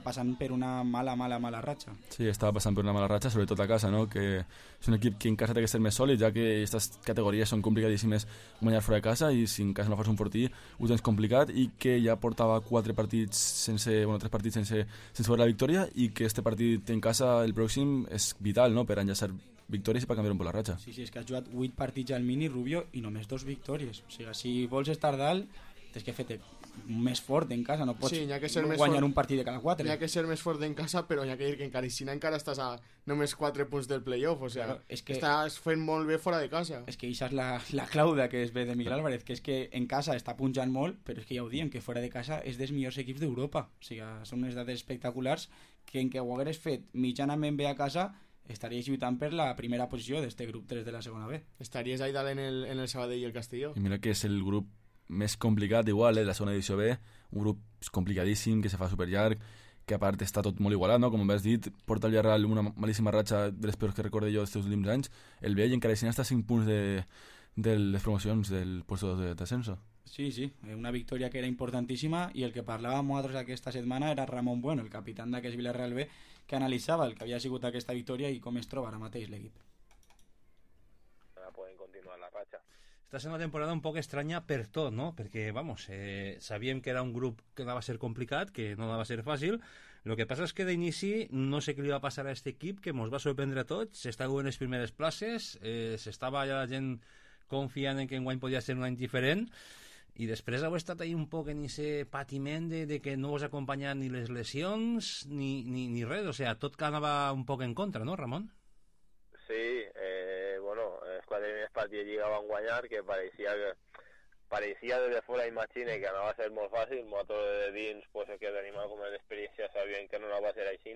passant per una mala ratxa. Sí, estava passant per una mala ratxa, sobretot a casa, no? Que és un equip que en casa té que ser més sòlid, ja que aquestes categories són complicadíssimes guanyar fora de casa i si en casa no fas un fortí ho tens complicat, i que ja portava 3 partits sense veure la victòria, i que este partit en casa, el pròxim, és vital, no?, per enllaçar victòries i per canviar un poc la ratxa. Sí, és que has jugat 8 partits al mini, Rubio, i només 2 victòries. O sigui, si vols estar dalt, tens que fer-te més fort en casa, no pots guanyar un partit de cada 4. N'hi ha que ser més fort en casa, però n'hi ha que dir que encara estàs a només 4 punts del playoff, o sigui, estàs fent molt bé fora de casa. És que això és la clau que es ve de Miguel Álvarez, que és que en casa està punjant molt, però és que ja ho diem, que fora de casa és dels millors equips d'Europa. O sigui, són unes dades espectaculars que en què ho hagués fet mitjanament bé a casa estaries lluitant per la primera posició d'este grup 3 de la segona B. Estaries ahí dalt en el Sabadell i el Castelló. I mira que és el grup més complicat igual, la segona divisió B, un grup complicadíssim, que se fa superllarg, que a part està tot molt igualat, no? Com has dit, porta el Villarreal una malíssima ratxa de les peors que recorde jo dels últims anys, el B, i encara així està a 5 punts de les promocions del puesto d'ascenso. Sí, una victòria que era importantíssima, i el que parlàvem nosaltres aquesta setmana era Ramon Bueno, el capitán d'aquest Villarreal B, que analitzava el que havia sigut aquesta victòria i com es troba ara mateix l'equip. Poden continuar la ratxa. Està sent una temporada un poc estranya per tot, no? Perquè, vamos, sabíem que era un grup que anava a ser complicat, que no anava a ser fàcil. El que passa és que d'inici no sé què li va passar a aquest equip, que ens va sorprendre a tots. S'estava en les primeres places, s'estava ja la gent confiant en que enguany podia ser un any diferent, i després heu estat ahí un poc en aquest patiment de que no us acompanyen ni les lesions ni res, o sigui, tot que anava un poc en contra, no, Ramon? Sí, bueno, els 4 primers partits de Lliga van guanyar, que pareixia des de fora, imagine, que anava a ser molt fàcil. Nosaltres de dins, pues, el que tenim alguna experiència, sabíem que no anava a ser així,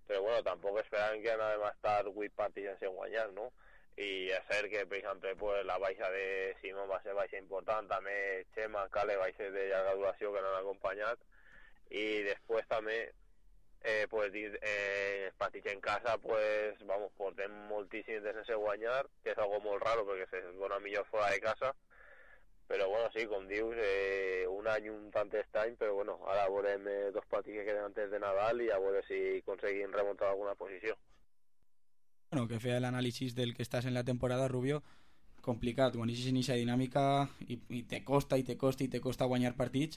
però bueno, tampoc esperàvem que anàvem a estar 8 partits sense guanyar, no? I és cert que, per exemple, pues, la baixa de Simón va ser baixa important, també Chema, Cale, baixes de llarga duració que no han acompanyat, i després també pues, partits en casa, pues, vamos, portem moltíssim de sense guanyar, que és algo molt raro perquè se dona millor fora de casa, però bueno, sí, com dius, un any un tant estrany, però bueno, ara veurem 2 partits que queden antes de Nadal i a veure si aconseguim remuntar alguna posició. Bueno, que feia l'anàlisi del que estàs en la temporada, Rubio, complicat, quan eixes en aquesta dinàmica i te costa guanyar partits,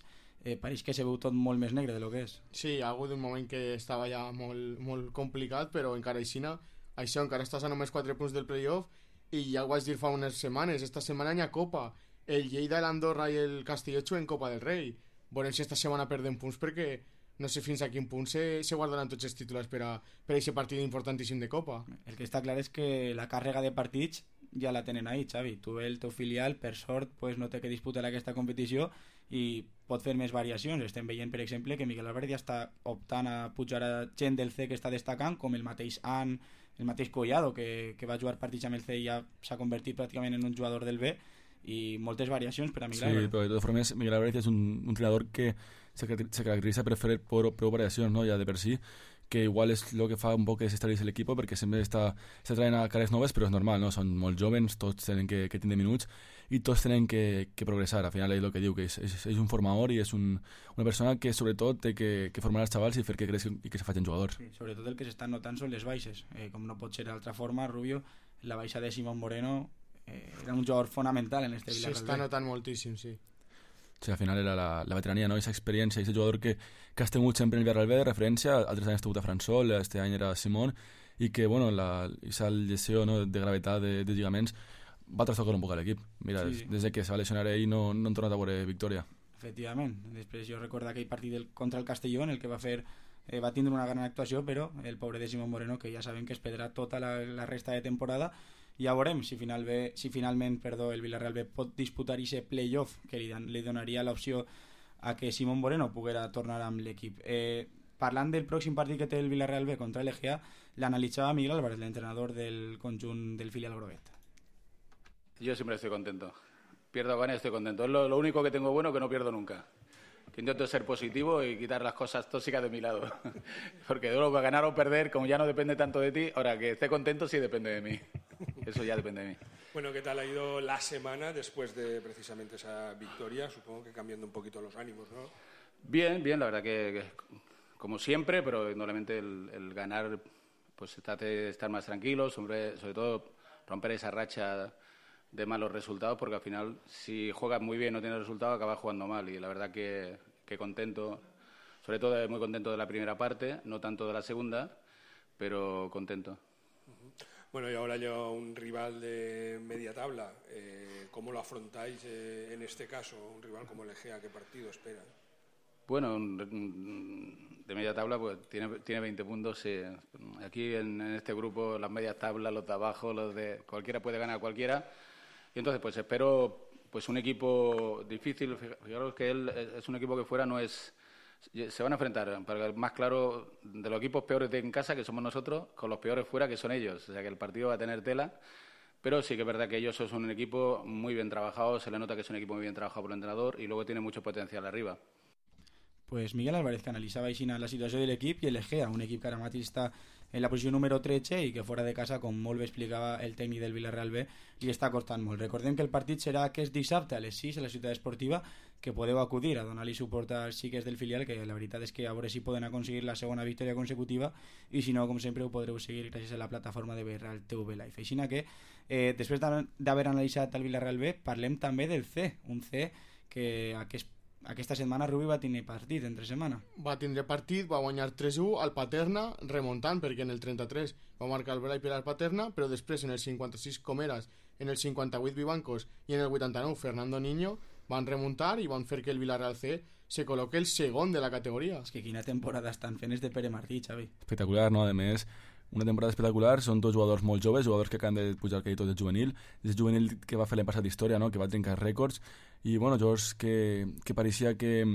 pareix que se veu tot molt més negre de lo que és. Sí, hi ha hagut un moment que estava ja molt complicat, però encara això encara estàs a només 4 punts del playoff, i ja ho vaig dir fa unes setmanes, esta setmana hi ha Copa, el Lleida, l'Andorra i el Castelló juguen Copa del Rei. Veurem si esta setmana perden punts, perquè no sé fins a quin punt se guardaran tots els títols per aquest partit importantíssim de Copa. El que està clar és que la càrrega de partits ja la tenen ahí, Xavi. Tu, el teu filial, per sort, pues, no té que disputar aquesta competició i pot fer més variacions. Estem veient, per exemple, que Miguel Álvarez ja està optant a pujar a gent del C que està destacant, com el mateix An, el mateix Collado, que va jugar partits amb el C i ja s'ha convertit pràcticament en un jugador del B, i moltes variacions per a Miguel Álvarez. Sí, però de totes formes Miguel Álvarez és un entrenador que se caracteritza per fer prou variacions, no? Ja de per si, que igual és el que fa un poc desestabilitzar l'equip, perquè sempre està traient a cares noves, però és normal, no? Són molt joves, tots tenen que tindre minuts i tots tenen que progressar. Al final és el que diu, que és un formador i és una persona que sobretot té que formar els xavals i fer que creixin i que se facin jugadors. Sí, sobretot el que s'estan notant són les baixes, com no pot ser d'altra forma, Rubio, la baixa de Simón Moreno era un jugador fonamental en este Villarreal. S'està notant moltíssim, sí. Sí, al final era la veterania, no? Esa experiència, aquest jugador que has tingut sempre en el Villarreal B, de referència, altres anys ha tingut a Fransol, este any era Simón, i que, bueno, aquesta lesió, no, de gravetat de lligaments va trastocar un poc a l'equip. Mira, sí. Des de que se va lesionar ell no han tornat a veure victòria. Efectivament. Després jo recordo aquell partit contra el Castelló, en el que va tindre una gran actuació, però el pobre de Simón Moreno, que ja sabem que es perdrà tota la resta de temporada. Ja veurem si finalment el Villarreal B pot disputar aquest playoff que li donaria l'opció a que Simón Moreno poguera tornar amb l'equip. Parlant del pròxim partit que té el Villarreal B contra l'EGA, l'analitzava Miguel Álvarez, l'entrenador del conjunt del filial groguet. Yo siempre estoy contento. Pierdo o gane, estoy contento. Es lo único que tengo bueno, que no pierdo nunca. Que intento ser positivo y quitar las cosas tóxicas de mi lado. Porque luego ganar o perder, como ya no depende tanto de ti, ahora que esté contento sí depende de mí. Eso ya depende de mí. Bueno, ¿qué tal ha ido la semana después de precisamente esa victoria? Supongo que cambiando un poquito los ánimos, ¿no? Bien, la verdad que como siempre, pero indudablemente el ganar, pues estar más tranquilos, sobre todo romper esa racha de malos resultados, porque al final si juegas muy bien y no tienes resultados acabas jugando mal, y la verdad que contento, sobre todo muy contento de la primera parte, no tanto de la segunda, pero contento. Bueno, y ahora llega un rival de media tabla. ¿Cómo lo afrontáis en este caso? Un rival como el EGEA, ¿qué partido esperan? Bueno, de media tabla pues tiene 20 puntos. Aquí en este grupo las medias tablas, los de abajo, los de cualquiera puede ganar a cualquiera. Y entonces pues espero pues un equipo difícil. Fijaros que él es un equipo que fuera no es... Se van a enfrentar, para el más claro, de los equipos peores de en casa, que somos nosotros, con los peores fuera, que son ellos. O sea que el partido va a tener tela, pero sí que es verdad que ellos son un equipo muy bien trabajado, se le nota que es un equipo muy bien trabajado por el entrenador y luego tiene mucho potencial arriba. Pues Miguel Álvarez, que analitzava així la situació de l'equip, i el Egea, un equip que ara mateix està en la posició número 13 i que fora de casa, com molt bé explicava el tècnic del Villarreal B, li està costant molt. Recordem que el partit serà aquest dissabte a les 6 a la ciutat esportiva, que podeu acudir a donar-li suport als xiques del filial, que la veritat és que a veure si poden aconseguir la segona victòria consecutiva, i si no, com sempre, ho podreu seguir gràcies a la plataforma de Villarreal TV Live. Així que, després d'haver analitzat el Villarreal B, parlem també del C, un C que aquesta setmana Rubi va tenir partit entre setmana. Va tindre partit, va guanyar 3-1 al Paterna, remuntant, perquè en el 33 va marcar el Blai per al Paterna, però després en el 56 Comeras, en el 58 Vivancos i en el 89 Fernando Niño van remuntar i van fer que el Villarreal C se col·loqui el segon de la categoria. És que quina temporada estan fent és de Pere Martí, Xavi. Espectacular, no? A més, una temporada espectacular, són dos jugadors molt joves, jugadors que acaben de pujar que tots del juvenil, és el juvenil que va fer l'any passat història, no? Que va trencar rècords, i bueno, jugadors que pareixia que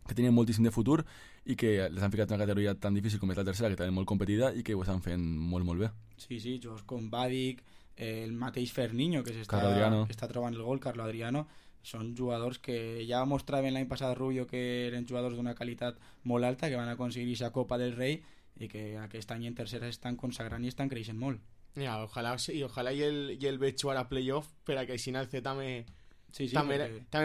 tenien moltíssim de futur i que les han ficat en una categoria tan difícil com és la tercera, que també molt competida i que ho estan fent molt, molt bé. Sí, jugadors com Badic, el mateix Ferniño, que està trobant el gol, Carlo Adriano, són jugadors que ja mostraven l'any passat Rubio que eren jugadors d'una qualitat molt alta, que van aconseguir aquesta Copa del Rei i que aquest any en tercera estan consagrant i estan creixent molt. Ja, ojalà i el veig jugar a playoff per a que així el C també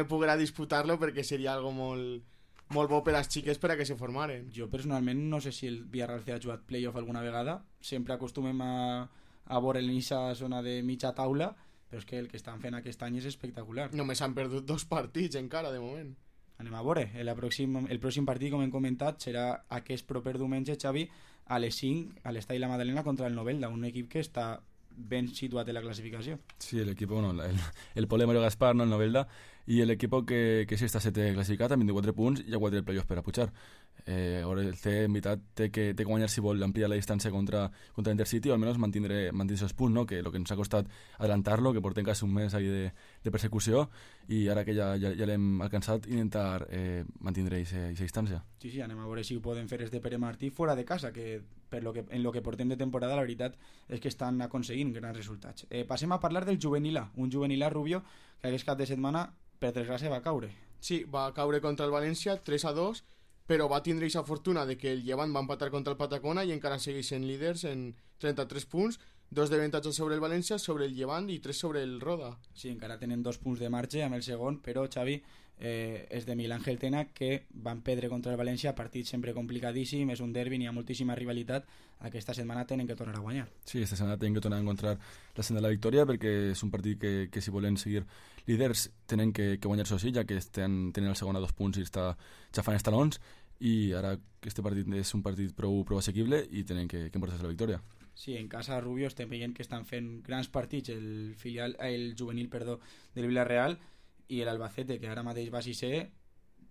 poguera disputar-lo, perquè seria algo molt bo per als xiques per a que se formaren. Jo personalment no sé si el Villarreal C ha jugat playoff alguna vegada, sempre acostumem a veure en aquesta zona de mitja taula, però és que el que estan fent aquest any és espectacular. Només han perdut 2 partits encara de moment. Anem a veure, el pròxim partit, com hem comentat, serà aquest proper diumenge, Xavi, a les 5 a l'Estadi La Madalena contra el Novelda, un equip que està ben situat en la classificació. Sí, l'equip, bueno, el Pole Mario Gaspar, no, el Novelda, i l'equip que sí està 7 classificat amb 24 punts i ha guanyat el playoff per a pujar. El C, en veritat, té que guanyar si vol ampliar la distància contra l'Intercity, o almenys mantenir els punts, no? Que el que ens ha costat adelantar-lo, que portem quasi un mes ahí de persecució, i ara que ja l'hem alcançat, intentar mantenir aquesta distància. Sí, anem a veure si ho poden fer de Pere Martí fora de casa, que en lo que portem de temporada la veritat és que estan aconseguint grans resultats. Passem a parlar del juvenil A, un juvenil A, Rubio, que aquest cap de setmana per desgràcia va caure. Sí, va caure contra el València 3-2, però va tindre aquesta fortuna de que el Llevant va empatar contra el Patacona i encara segueixen líders en 33 punts, 2 d'avantatge sobre el València, sobre el Llevant i 3 sobre el Roda. Sí, encara tenen 2 punts de marge amb el segon, però Xavi, és de Miguel Ángel Tena, que van perdre contra el València, partit sempre complicadíssim, és un derbi, hi ha moltíssima rivalitat, aquesta setmana tenen que tornar a guanyar. Sí, esta setmana tenen que tornar a encontrar la senda de la victòria, perquè és un partit que si volen seguir líders tenen que guanyar-se així, ja que tenen el segon a 2 punts i està xafant els talons, i ara este partit és un partit prou assequible i tenen que emportar-se la victòria. Sí, en casa Rubio estem veient que estan fent grans partits el juvenil del Villarreal, i l'Albacete, que ara mateix va 6è,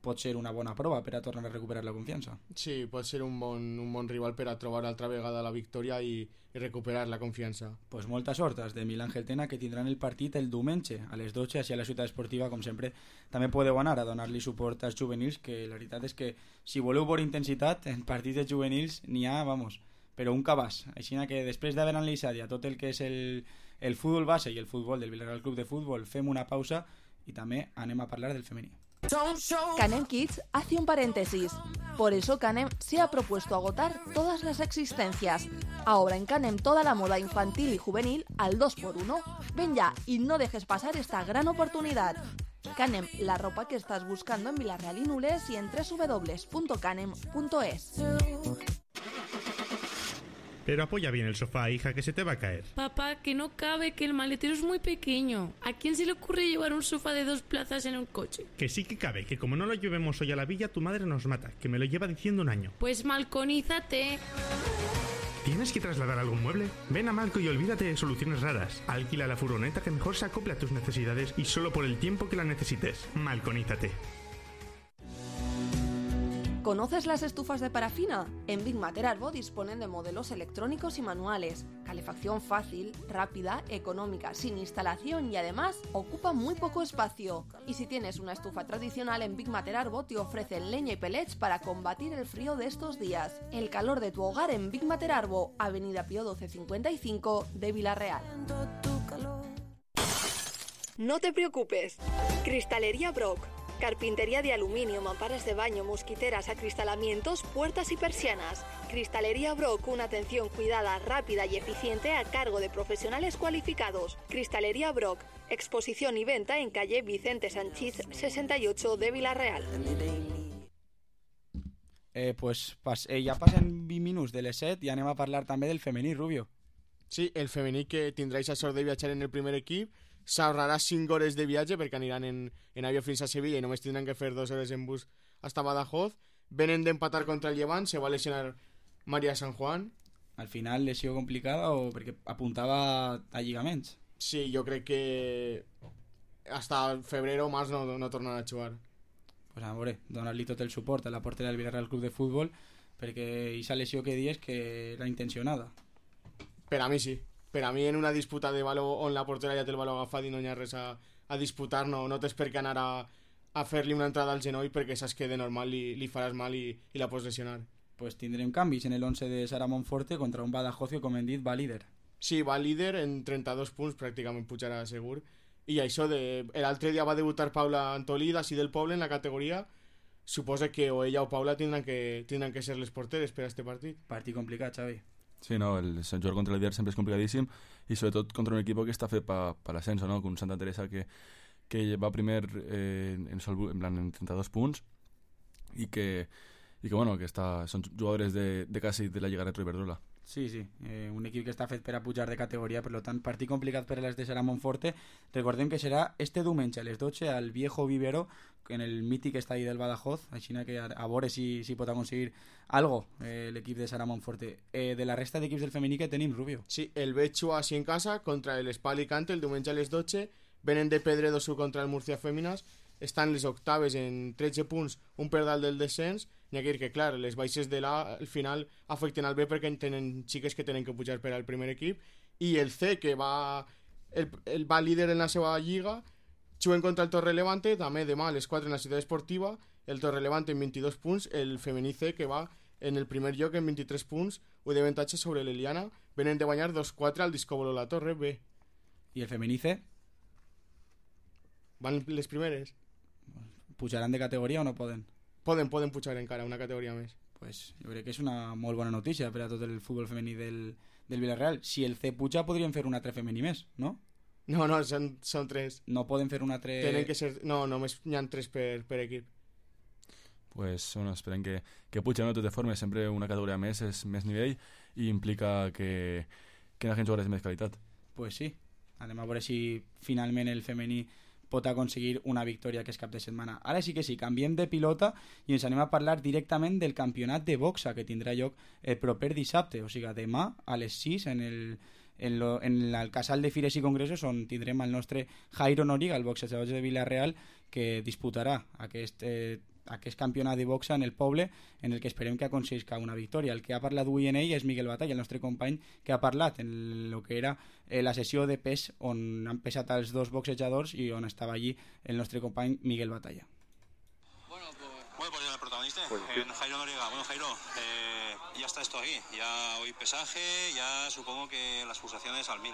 pot ser una bona prova per a tornar a recuperar la confiança. Sí, pot ser un bon rival per a trobar altra vegada la victòria i recuperar la confiança. Pues molta sort als de Miguel Ángel Tena, que tindran el partit el diumenge a les 12 així a la ciutat esportiva, com sempre. També podeu anar a donar-li suport als juvenils, que la veritat és que si voleu veure intensitat en partits de juvenils n'hi ha, però un cabàs. Així que després d'haver analitzat ja tot el que és el futbol base i el futbol del Villarreal Club de Futbol, fem una pausa y también anem a hablar del femení. Canem Kids hace un paréntesis. Por eso Canem se ha propuesto agotar todas las existencias. Ahora en Canem toda la moda infantil y juvenil al 2x1. Ven ya y no dejes pasar esta gran oportunidad. Canem, la ropa que estás buscando en Villarreal y Nules y en www.canem.es. Pero apoya bien el sofá, hija, que se te va a caer. Papá, que no cabe, que el maletero es muy pequeño. ¿A quién se le ocurre llevar un sofá de 2 plazas en un coche? Que sí que cabe, que como no lo llevemos hoy a la villa, tu madre nos mata, que me lo lleva diciendo un año. Pues malconízate. ¿Tienes que trasladar algún mueble? Ven a Malco y olvídate de soluciones raras. Alquila la furgoneta que mejor se acople a tus necesidades y solo por el tiempo que la necesites. Malconízate. ¿Conoces las estufas de parafina? En Big Matter Arbo disponen de modelos electrónicos y manuales, calefacción fácil, rápida, económica, sin instalación y además ocupa muy poco espacio. Y si tienes una estufa tradicional, en Big Matter Arbo te ofrecen leña y pellets para combatir el frío de estos días. El calor de tu hogar en Big Matter Arbo, Avenida Pío 1255 de Villarreal. No te preocupes. Cristalería Brock. Carpintería de aluminio, mamparas de baño, mosquiteras, acristalamientos, puertas y persianas. Cristalería Brock, una atención cuidada, rápida y eficiente a cargo de profesionales cualificados. Cristalería Brock, exposición y venta en calle Vicente Sanchís 68 de Villarreal. Ja passen 20 minuts de les 7 i anem a parlar també del femení, Rubio. Sí, el femení, que tindrà la sort de viatjar en el primer equip, s'ahorrarà 5 hores de viatge perquè aniran en avió fins a Sevilla i només tindran que fer 2 hores en bus hasta Badajoz. Venen d'empatar contra el Llevant, se va lesionar María San Juan. Al final lesió complicada o perquè apuntava a lligaments? Sí, jo crec que hasta febrer o març no tornarà a jugar. Pues a veure, donar-li tot el suport a la portera del Villarreal Club de Futbol, perquè aquesta lesió que dius que era intencionada. Per a mi sí. Per a mi en una disputa de baló on la portera ja té el baló agafat i no hi ha res a disputar, no tens per què anar a fer-li una entrada al genoll perquè saps que de normal li faràs mal i la pots lesionar. Pues tindrem canvis en el 11 de Sara Monforte contra un Badajoz que, com hem dit, va líder. Sí, va líder en 32 punts, pràcticament pujarà segur. I això, l'altre dia va debutar Paula Antolí, d'ací del poble, en la categoria. Suposa que o ella o Paula tindran que ser les porteres per a este partit. Partit complicat, Xavi. Sí, no, el jugar contra el líder sempre és complicadíssim i sobretot contra un equip que està fet per l'ascenso, no? Com Santa Teresa que va primer en 32 punts i que bueno, que són jugadores de quasi de la Lliga Retro Iberdrola. Sí, un equip que està fet per a pujar de categoria, per tant, partit complicat per a les de Sara Monforte. Recordem que serà este diumenge a les 12 al Viejo Vivero, en el mític estadi del Badajoz, així que a veure si pot aconseguir algo l'equip de Sara Monforte. De la resta d'equips del femení que tenim, Rubio. Sí, el Betxua així en casa contra l'Espa Alicante el diumenge a les 12, venen de Pedredosu contra el Murcia Fèmines, estan les octaves en 13 punts, un per dalt del descens. N'hi ha que dir que, clar, les baixes de l'A al final afecten al B perquè tenen xiques que tenen que pujar per al primer equip, i el C, que va líder en la seva lliga, juguen contra el Torrelevante, també demà a les 4 en la ciutat esportiva, el Torrelevante en 22 punts, el femení C, que va en el primer lloc en 23 punts, un d'avantatge sobre l'Eliana, venen de guanyar 2-4 al Discobolo La Torre B. I el femení C? Van les primeres. Pujaran de categoria o no poden? Poden pujar encara una categoria més. Pues jo crec que és una molt bona notícia per a tot el futbol femení del Villarreal. Si el C puja podrien fer un altre femení més, no? No, són 3. No poden fer un altre... Tenen que ser... No, només n'hi ha 3 per equip. Pues bueno, esperem que puja, no? De totes formes, sempre una categoria més és més nivell i implica que la gent jugarà més qualitat. Pues sí, anem a veure si finalment el femení pot aconseguir una victòria aquest cap de setmana. Ara sí que sí, canviem de pilota i ens anem a parlar directament del campionat de boxa que tindrà lloc el proper dissabte, o sigui, demà a les 6 en el casal de Fires i Congressos, on tindrem el nostre Jairo Noriega, el boxejador de Villarreal, que disputarà aquest campionat de boxa en el poble, en el que esperem que aconseguisca una victòria. El que ha parlat avui en ell és Miguel Batalla, el nostre company, que ha parlat en el que era la sessió de pes on han pesat els dos boxejadors i on estava allí el nostre company Miguel Batalla. Bueno, pues el protagonista, Jairo Noriega. Bueno, Jairo, ya está esto aquí, ya hoy pesaje, ya supongo que las pulsaciones al 1000.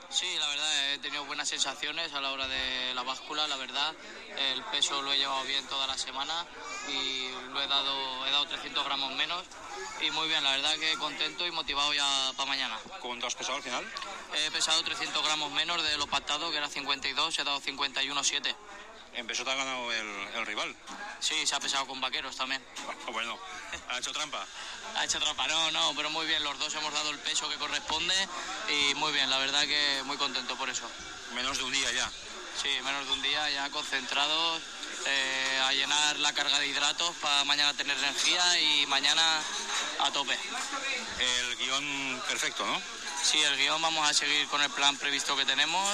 Sí, la verdad he tenido buenas sensaciones a la hora de la báscula, la verdad. El peso lo he llevado bien toda la semana y he dado 300 gramos menos y muy bien, la verdad que contento y motivado ya para mañana. ¿Cuánto has pesado al final? He pesado 300 gramos menos de lo pactado, que era 52, he dado 51,7. En peso te ha ganado el rival. Sí, se ha pesado con vaqueros también. Bueno, ¿ha hecho trampa? Ha hecho trampa, no, pero muy bien, los dos hemos dado el peso que corresponde y muy bien, la verdad que muy contento por eso. Menos de un día ya. Sí, menos de un día ya concentrados, a llenar la carga de hidratos para mañana tener energía y mañana a tope. El guión perfecto, ¿no? Sí, el guión vamos a seguir con el plan previsto que tenemos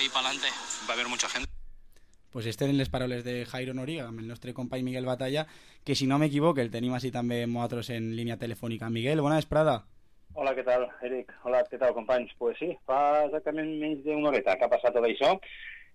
y para adelante. Va a haber mucha gente. Pues eren les paraules de Jairo Noriega amb el nostre company Miguel Batalla, que si no m'equivoco el tenim així també nosaltres en línia telefònica. Miguel, bona vesprada. Hola, què tal, Eric? Hola, què tal, companys? Pues sí, fa exactament menys d'una horeta que ha passat tot això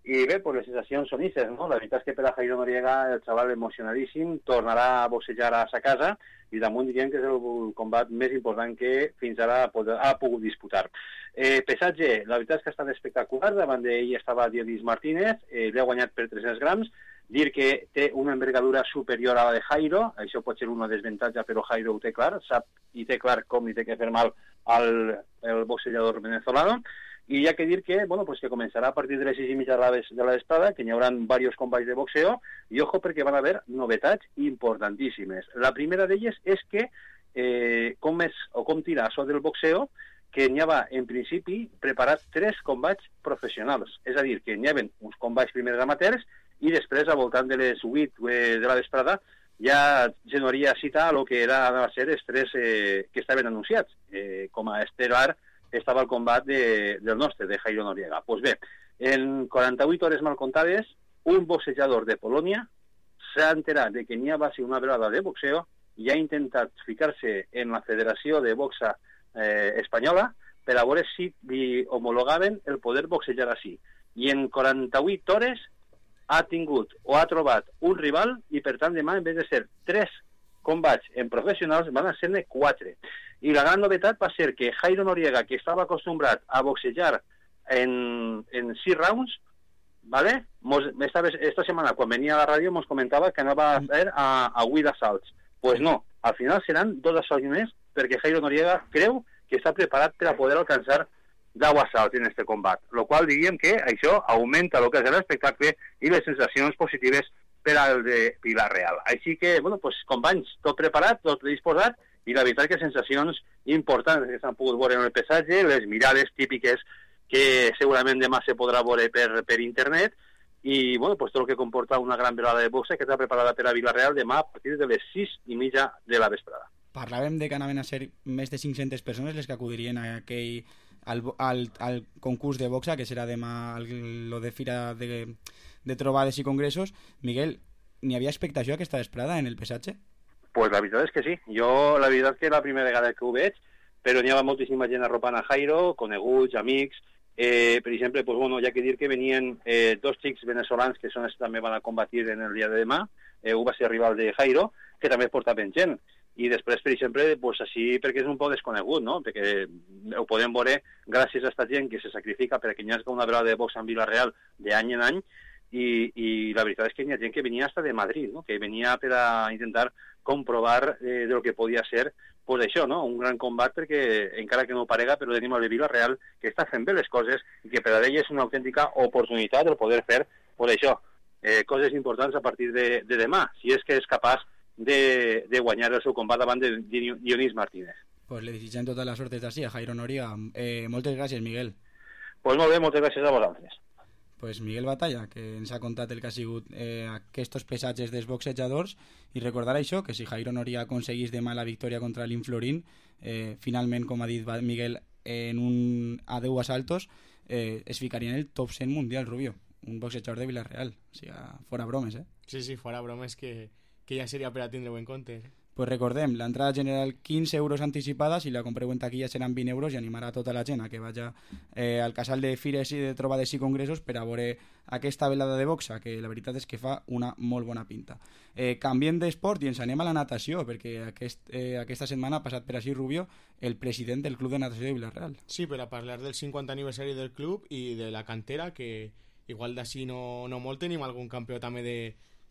i bé, pues les sensacions són ixes, no? La veritat és que per a Jairo Noriega el xaval emocionadíssim tornarà a boxejar a sa casa i damunt diríem que és el combat més important que fins ara ha pogut disputar. Pesatge, la veritat és que ha estat espectacular, davant d'ell estava Dionis Martínez, li ha guanyat per 300 grams, dir que té una envergadura superior a la de Jairo, això pot ser una desventatge, però Jairo ho té clar, sap i té clar com li té que fer mal al boxejador venezolano, i hi ha que dir que, bueno, pues que començarà a partir de les 6:30 de la vesprada, que hi haurà diversos combats de boxeo, i ojo perquè van haver novetats importantíssimes. La primera d'elles és que com tira això del boxeo, que n'hi havia, en principi, preparat 3 combats professionals. És a dir, que n'hi havia uns combats primers amateurs i després, al voltant de les 8 de la vesprada, ja genoria cita a lo que va ser els 3 que estaven anunciats. Com a estelar estava el combat del nostre, de Jairo Noriega. Pues bé, en 48 hores mal comptades, un boxejador de Polònia s'ha enterat de que n'hi va ser una velada de boxeo i ha intentat ficar-se en la Federació de Boxa espanyola per a veure si li homologaven el poder boxejar així. I en 48 hores ha tingut o ha trobat un rival i, per tant, demà, en vez de ser 3 combats en professionals, van a ser-ne 4. I la gran novetat va ser que Jairo Noriega, que estava acostumbrat a boxejar en 6 rounds, ¿vale? Esta setmana, quan venia a la ràdio, ens comentava que anava a fer a 8 assalts. Pues no, al final seran 2 assalts més, perquè Jairo Noriega creu que està preparat per a poder alcançar 10 assalts en este combat, lo qual diríem que això augmenta el que és l'espectacle i les sensacions positives per al de Villarreal. Així que, bueno, pues, companys, tot preparat, tot disposat, i la veritat que sensacions importants que s'han pogut veure en el pesatge, les mirades típiques que segurament demà se podrà veure per internet, i bueno, pues, tot el que comporta una gran velada de boxa que està preparada per a Villarreal demà a partir de les 6:30 de la vesprada. Parlàvem de que anaven a ser més de 500 persones les que acudirien al concurs de boxa, que serà demà lo de Fira de Trobades i Congressos. Miguel, n'hi havia expectació aquesta vesprada en el pesatge? Pues la veritat és que sí. Jo la veritat que és la primera vegada que ho veig, però n'hi havia moltíssima gent arropant a Jairo, coneguts, amics. Per exemple, pues, bueno, hi ha que dir que venien 2 xics venezolans que són els que també van a combatir en el dia de demà. Un va ser rival de Jairo, que també portaven gent. I després, per exemple, pues, així perquè és un poc desconegut, no? Perquè ho podem veure gràcies a aquesta gent que se sacrifica perquè hi hagi una velada de boxa en Villarreal d'any en any, i la veritat és que hi ha gent que venia hasta de Madrid, no? Que venia per a intentar comprovar de lo que podia ser pues això, no? Un gran combat perquè, encara que no ho parega, però tenim el Villarreal que està fent bé les coses i que per a ell és una autèntica oportunitat el poder fer, pues això, coses importants a partir de demà, si és que és capaç de guanyar el seu combat davant de Dionís Martínez. Pues le desitgem tota la sort des d'ací a Jairo Noriega. Moltes gràcies, Miguel. Pues molt bé, moltes gràcies a vosaltres. Pues Miguel Batalla, que ens ha contat el que ha sigut aquests pesatges dels boxejadors, i recordar això, que si Jairo Noriega aconseguís demà la victòria contra l'Inflorín, finalment, com ha dit Miguel, en un a 10 asaltos, es ficaria en el top 100 mundial, Rubio. Un boxejador de Villarreal. O sigui, fora bromes, Sí, fora bromes que ja seria per a tindre-ho en compte. Pues recordem, l'entrada general 15 euros anticipada, si la compreu en taquilla seran 20 euros i animarà tota la gent a que vagi al casal de fires i de trobades i congressos per a veure aquesta velada de boxa, que la veritat és que fa una molt bona pinta. Canviem d'esport i ens anem a la natació, perquè aquesta setmana ha passat per així Rubio, el president del Club de Natació de Villarreal. Sí, per a parlar del 50 aniversari del club i de la cantera, que igual d'ací no molt tenim algun campió també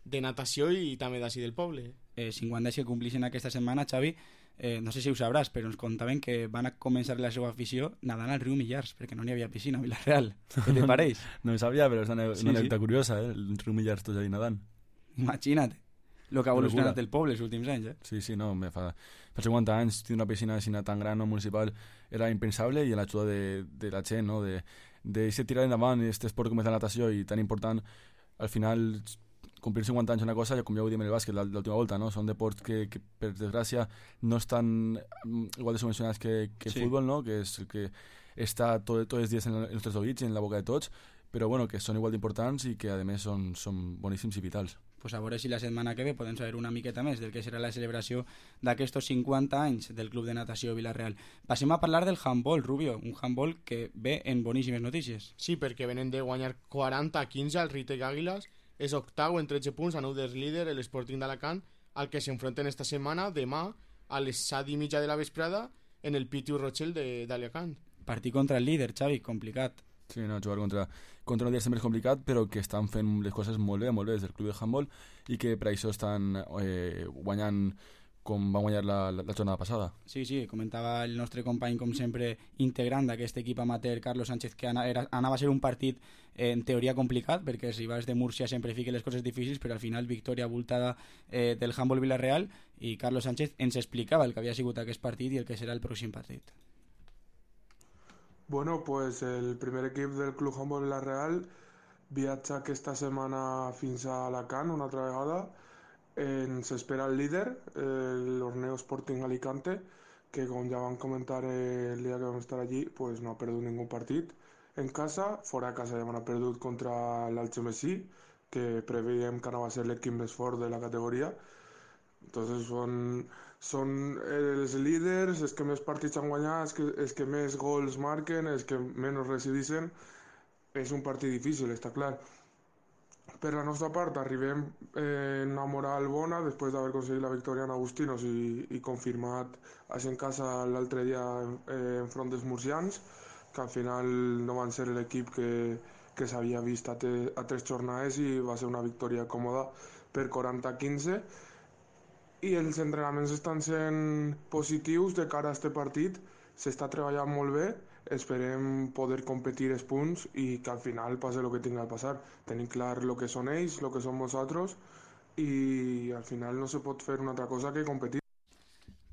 de natació i també d'ací del poble. 50 anys que complixen aquesta setmana, Xavi, no sé si ho sabràs, però ens contaven que van a començar la seva afició nadant al riu Millars, perquè no n'hi havia piscina a Villarreal. Què te pareix? No ho sabia, però és una anècdota curiosa, el riu Millars tots allà nadant. Imagina't el que ha evolucionat el poble els últims anys. Sí, no, fa 50 anys tindre una piscina tan gran o municipal era impensable, i l'ajuda de la gent, no? de tirar endavant aquest esport com és la natació i tan important, al final complir 50 anys una cosa, com ja ho diem en el bàsquet l'última volta, no? Són deports que per desgràcia no estan igual de subvencionats que el futbol, no? Que és el que està tots els dies en els nostres oïts i en la boca de tots, però bueno, que són igual d'importants i que a més són boníssims i vitals. Pues a veure si la setmana que ve podem saber una miqueta més del que serà la celebració d'aquests 50 anys del Club de Natació Villarreal. Passem a parlar del handball, Rubio, un handball que ve en boníssimes notícies. Sí, perquè venen de guanyar 40-15 al Ritec Àguiles, és octau en 13 punts, a 9 del líder, l'Sporting d'Alacant, al que s'enfronten esta setmana, demà, a les 7:30 de la vesprada, en el Pitiu Rochel d'Alacant. Partir contra el líder, Xavi, complicat. Sí, no, jugar contra un dia sempre és complicat, però que estan fent les coses molt bé des del club de handball, i que per això estan guanyant com va guanyar la jornada passada. Sí, comentava el nostre company, com sempre, integrant d'aquest equip amateur, Carlos Sánchez, que anava a ser un partit en teoria complicat, perquè si vas de Múrcia sempre fiquen les coses difícils, però al final victòria abultada del handball Villarreal, i Carlos Sánchez ens explicava el que havia sigut aquest partit i el que serà el pròxim partit. Bueno, pues el primer equip del Club Handball Villarreal viatja aquesta setmana fins a Alacant una altra vegada. Ens espera el líder, l'Orneo Sporting Alicante, que com ja vam comentar el dia que vam estar allí, pues no ha perdut ningú partit en casa. Fora de casa ja han perdut contra l'Algemesí, que preveiem que anava a ser l'equip més fort de la categoria. Entonces són els líders, els que més partits han guanyat, els que més gols marquen, els que menys resideixen. És un partit difícil, està clar. Per la nostra part, arribem en una moral bona després d'haver aconseguit la victòria en Agustinos i confirmat en casa l'altre dia enfront dels murcians, que al final no van ser l'equip que s'havia vist a 3 jornades i va ser una victòria còmoda per 40-15. I els entrenaments estan sent positius de cara a aquest partit, s'està treballant molt bé, esperem poder competir els punts i que al final passi el que tingui a passar. Tenim clar el que són ells, el que som nosaltres, i al final no se pot fer una altra cosa que competir.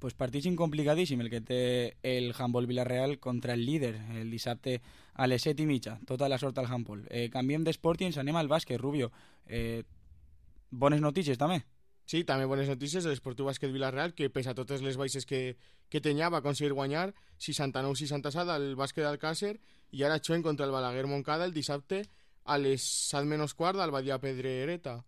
Pues partit incomplicadíssim el que té el handball Villarreal contra el líder el dissabte a les 7:30. Tota la sort al handball. Canviem d'esport i ens anem al bàsquet, Rubio. Bones notícies també. Sí, també bones notícies de l'Esportiu Bàsquet Villarreal, que pese a totes les baixes que tenia va aconseguir guanyar 69-67 al bàsquet d'Alcàsser, i ara juguen contra el Balaguer Montcada el dissabte a les 7:15 al Badia Pedrereta.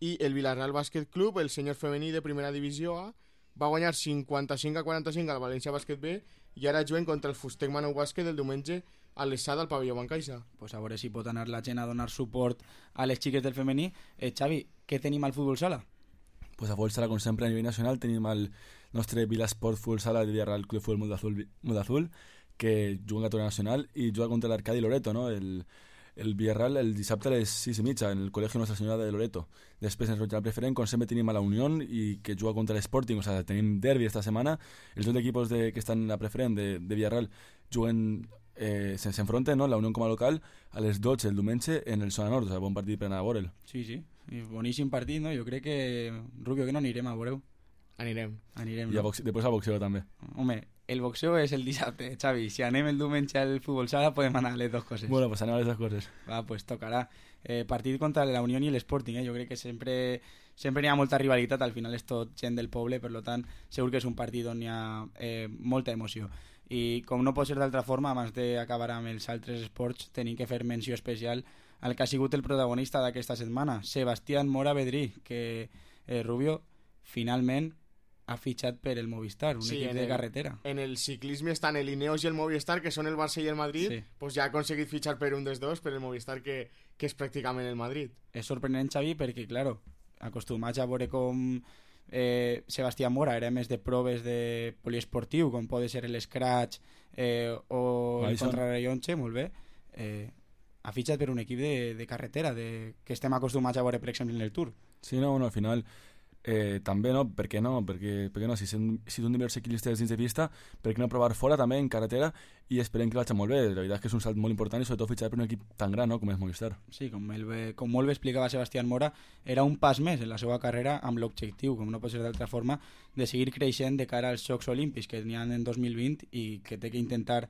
I el Villarreal Bàsquet Club, el sènior femení de primera divisió A, va guanyar 55-45 al València Bàsquet B, i ara juguen contra el Fustec Maneu Bàsquet el diumenge a l'Essada al pavelló Bancaixa. Pues a veure si pot anar la gent a donar suport a les xiques del femení. Xavi, què tenim al futbol sala? Pues a futbol sala, com sempre, a nivell nacional tenim el nostre Vilasport Futbol Sala de Villarreal Club Futbol Mundo Azul, que juga en categoria nacional i juga contra l'Arcadi Loreto, no? El el Villarreal el dissabte a les 6:30 en el Col·legi Nostra Senyora de Loreto. Després ens la preferent, com sempre tenim a la Unión i que juga contra l'Sporting, o sigui, tenim derbi esta setmana. Els dos equipos que estan en la preferent de Villarreal juguen, s'enfronten, no? La Unión com a local a les 12 el diumenge en el Zona Nord, o sigui, bon partit per anar a veure'l. Sí, i boníssim partit, no? Jo crec que, Rubio, que no anirem a veure-ho. Anirem. I després al boxeo també. Home, el boxeo és el dissabte, Xavi. Si anem el diumenge al futbol sala podem anar a les dues coses. Bueno, pues anem a les dues coses. Va, pues tocarà. Partit contra la Unión i l'Sporting, Jo crec que sempre hi ha molta rivalitat, al final és tot gent del poble, per tant, segur que és un partit on hi ha molta emoció. I com no pot ser d'altra forma, abans d'acabar amb els altres esports, tenim que fer menció especial al que ha sigut el protagonista d'aquesta setmana, Sebastián Mora Bedrí, que Rubio finalment ha fitxat per el Movistar, un equip de carretera. En el ciclisme estan el Ineos i el Movistar, que són el Barça i el Madrid, pues ja ha aconseguit fitxar per un dels dos, per el Movistar, que és pràcticament el Madrid. És sorprenent, Xavi, perquè, claro, acostumats a veure com Sebastián Mora era més de proves de poliesportiu, com pot ser l'Scratch o el Contrarellotge, molt bé, ha fitxat per un equip de carretera, que estem acostumats a veure, per exemple, en el Tour. Sí, no, al final... també no, per què no? Perquè no, si són diversos ciclistes dins de pista, per què no provar fora també en carretera, i esperem que vagi molt bé. La veritat és que és un salt molt important i sobretot fitxar per un equip tan gran, no?, com és Movistar. Sí, com molt bé explicava Sebastián Mora, era un pas més en la seva carrera amb l'objectiu, com no pot ser d'altra forma, de seguir creixent de cara als Jocs Olímpics que n'hi ha en 2020 i que té que intentar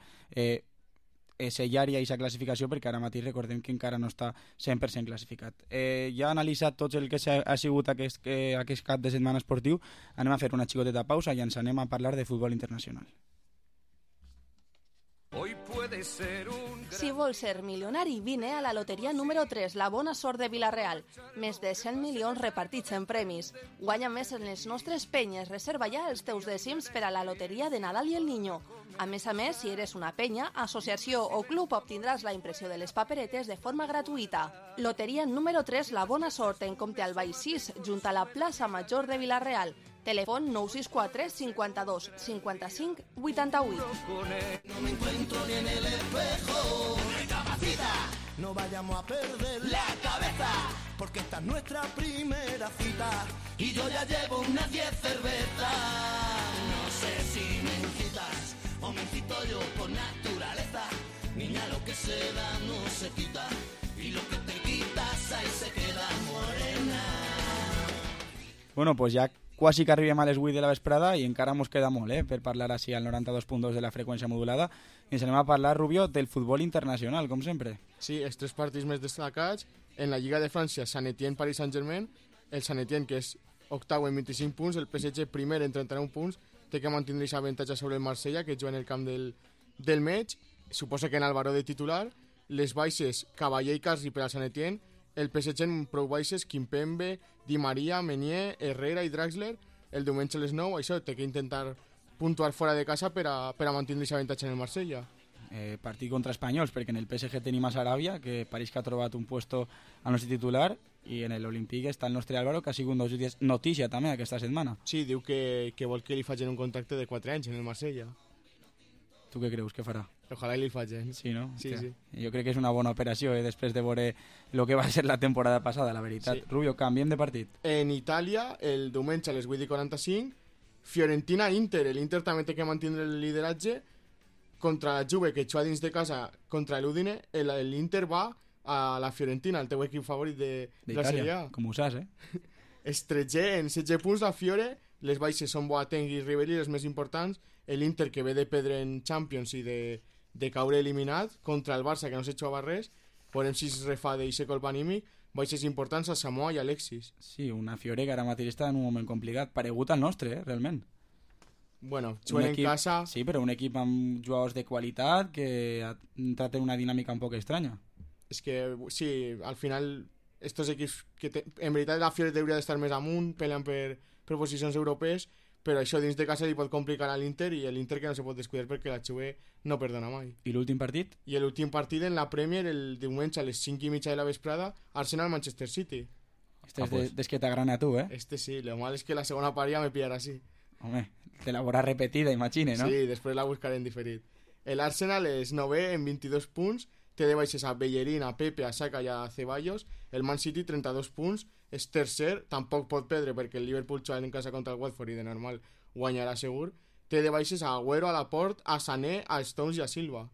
sellar ja aquesta classificació, perquè ara mateix recordem que encara no està 100% classificat. Ja ha analitzat tot el que ha sigut aquest cap de setmana esportiu. Anem a fer una xicoteta pausa i ens anem a parlar de futbol internacional. Si vols ser milionari, vine a la loteria número 3, la bona sort de Vila-real. Més de 100 milions repartits en premis. Guanya més en les nostres penyes. Reserva ja els teus dècims per a la loteria de Nadal i el Niño. A més, si eres una penya, associació o club, obtindràs la impressió de les paperetes de forma gratuïta. Loteria número 3, la bona sort, en compte al Baix 6, junt a la plaça Major de Vila-real. Telèfon 964 52 55 88. No me encuentro ni en el espejo. Recapacita, no vayamos a perder la cabeza, porque esta es nuestra primera cita y yo ya llevo unas 10 cervezas. No sé si me incitas o me incito yo por naturaleza. Niña, lo que se da no se quita y lo que te quitas ahí se queda morena. Bueno, pues ja quasi que arribem a les 8 de la vesprada i encara mos queda molt, per parlar així al 92.2 de la freqüència modulada. I ens anem a parlar, Rubio, del futbol internacional, com sempre. Sí, els tres partits més destacats. En la Lliga de França, Saint-Étienne-Paris Saint-Germain, el Saint-Étienne, que és octau en 25 punts, el PSG primer en 39 punts, té que mantenir aquest avantatge sobre el Marsella, que juga en el camp del Metge, suposa que en Álvaro de titular, les baixes Cavallé i Carri per al Saint-Étienne, el PSG en prou baixes, Kimpembe, Di Maria, Meunier, Herrera i Draxler, el diumenge a les 9, això té que intentar puntuar fora de casa per a mantenir aquest avantatge en el Marsella. Partit contra espanyols, perquè en el PSG tenim a Sarabia, que pareix que ha trobat un puesto al nostre titular, i en l'Olímpic està el nostre Álvaro, que ha sigut notícia també aquesta setmana. Sí, diu que vol que li facin un contracte de 4 anys en el Marsella. Tu què creus que farà? Ojalà li facin. Sí, no? Sí, sí. Jo crec que és una bona operació, després de veure el que va ser la temporada passada, la veritat. Sí. Rubio, canviem de partit. En Itàlia, el diumenge a les 8:45, Fiorentina-Inter. L'Inter també té que mantenir el lideratge contra la Juve, que juga dins de casa contra l'Udine. L'Inter va a la Fiorentina, el teu equip favorit de la Serie A. Com ho saps, Estretger en 16 punts la Fiore, les baixes són Boateng i Ribéry, les més importants. L'Inter, que ve de perdre en Champions i de caure eliminat, contra el Barça, que no s'ha jugava res. Veurem si es refà d'eixe colp anímic. Baixes importants a Samoa i Alexis. Sí, una Fiore que ara mateix està en un moment complicat, paregut al nostre, realment. Bueno, juguen en casa... Sí, però un equip amb jugadors de qualitat que ha entrat en una dinàmica un poc estranya. És que, sí, al final, estos equips que en veritat la Fiore hauria d'estar més amunt, peleant per posicions europees, però això dins de casa li pot complicar a l'Inter, i l'Inter que no se pot descuidar perquè la Juve no perdona mai. I l'últim partit? I l'últim partit en la Premier, el diumenge a les 5:30 de la vesprada, Arsenal-Manchester City. Este és des que t'agrana a tu, Este sí, lo mal es que la segona part ja me pillarà así. Home, te la veuràs repetida, imagine, no? Sí, després la buscaré en diferit. L'Arsenal és 9è en 22 punts, té de baixes a Bellerín, a Pepe, a Saka i a Ceballos. El Man City 32 punts, és tercer, tampoc pot perdre perquè el Liverpool juga en casa contra el Watford i de normal guanyarà segur. Té de baixes a Agüero, a Laporte, a Sané, a Stones i a Silva.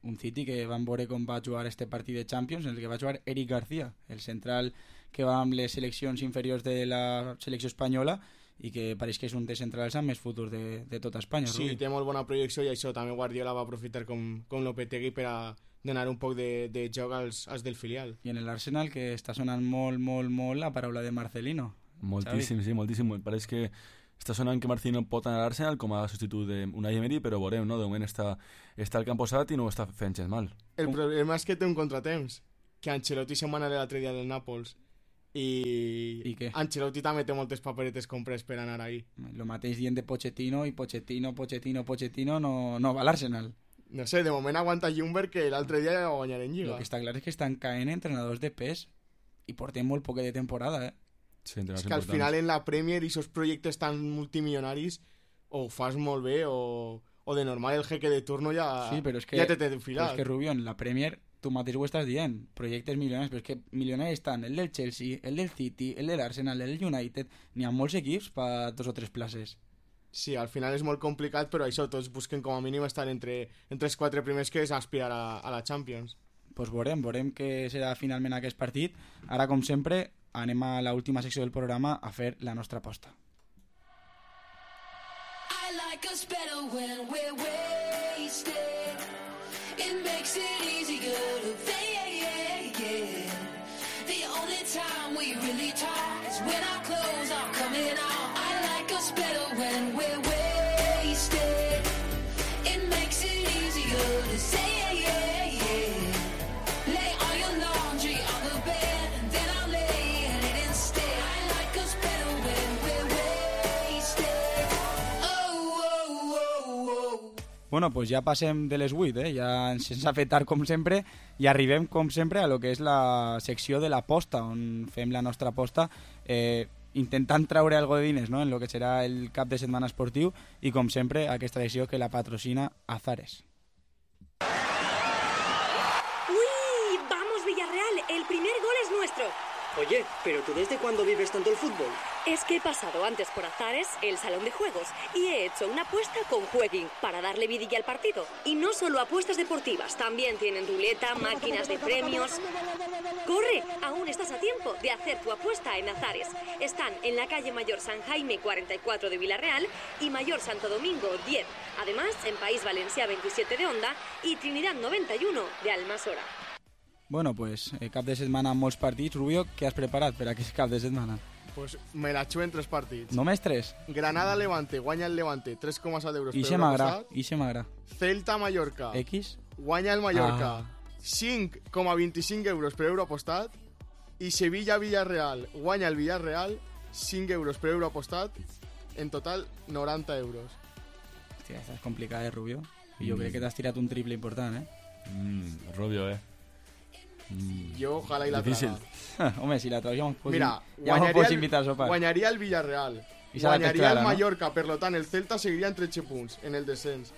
Un City que van veure com va jugar este partit de Champions, en el que va jugar Eric García, el central que va amb les seleccions inferiors de la selecció espanyola i que pareix que és un dels centrals amb més futur de tota Espanya. Sí, té molt bona projecció i això també Guardiola va aprofitar com Lopetegui per a donar un poc de joc als del filial. I en l'Arsenal que està sonant molt la paraula de Marcelino. Moltíssim, sí, moltíssim. Pareix que està sonant que Marcelino pot anar a l'Arsenal com a substitut d'Unai Emery, però veurem, no? De moment està al camp posat i no ho està fent gens mal. El problema és que té un contratemps, que Ancelotti se'n va anar l'altre dia del Nàpols. I què? Ancelotti també té moltes paperetes compres per anar ahí. Lo mateix dient de Pochettino i Pochettino no va a l'Arsenal. No sé, de moment aguanta Ljungberg que l'altre dia ja va guanyar en Lliga. Lo que està clar és que estan caent entrenadors de pes i portem molt poc de temporada, Sí, és que al final en la Premier i esos projectes tan multimillonaris o ho fas molt bé o de normal el jeque de turno ja, sí, però és que, ja t'he enfilat. Però és que Rubio, en la Premier tu mateix ho estàs dient, projectes milionaris, però és que milionaris estan el del Chelsea, el del City, el de l'Arsenal, el del United, n'hi ha molts equips per 2 o 3 places. Sí, al final és molt complicat, però això, tots busquen com a mínim estar entre els 4 primers que és aspirar a la Champions. Pues veurem què serà finalment aquest partit. Ara, com sempre, anem a l'última secció del programa a fer la nostra aposta. I like us better when we're wasted. It makes it easier to fake. The only time we really talk is when our clothes are coming off. I like us better when we're wasted. It makes it easier to say. Lay all your laundry on the bed and then I'll lay in it instead. I like us better when we're wasted. Oh. Bueno, pues ja passem de les 8, ja ens ha fet tard com sempre i arribem com sempre a lo que és la secció de l'aposta, on fem la nostra aposta intentant traure algo de diners, no?, en lo que serà el cap de setmana esportiu i com sempre aquesta secció que la patrocina Azares. ¡Uy! ¡Vamos, Villarreal! El primer gol es nuestro. Oye, ¿pero tú desde cuándo vives tanto el fútbol? Es que he pasado antes por Azares, el salón de juegos, y he hecho una apuesta con Jueguin para darle vidilla al partido. Y no solo apuestas deportivas, también tienen ruleta, máquinas de premios. ¡Corre! Aún estás a tiempo de hacer tu apuesta en Azares. Están en la calle Mayor San Jaime 44 de Villarreal y Mayor Santo Domingo 10. Además, en País Valencià 27 de Onda y Trinidad 91 de Almasora. Bueno, pues cap de setmana amb molts partits. Rubio, què has preparat per aquest cap de setmana? Pues me la xuo en 3 partits. Només 3? Granada-Levante, guanya el Levante, 3,7 euros per euro apostat. I se m'agrada. Celta-Mallorca. X? Guanya el Mallorca. 5,25 euros per euro apostat. I Sevilla-Villarreal, guanya el Villarreal, 5 euros per euro apostat. En total, 90 euros. Hòstia, estàs complicat, Rubio. I jo crec que t'has tirat un triple important, Rubio, Jo, ojalà i la difícil. traga. Home, si la traga ja m'ho pots invitar a sopar. Guanyaria el Villarreal, guanyaria el Mallorca, per lo tant el Celta seguiria en 13 punts en el descens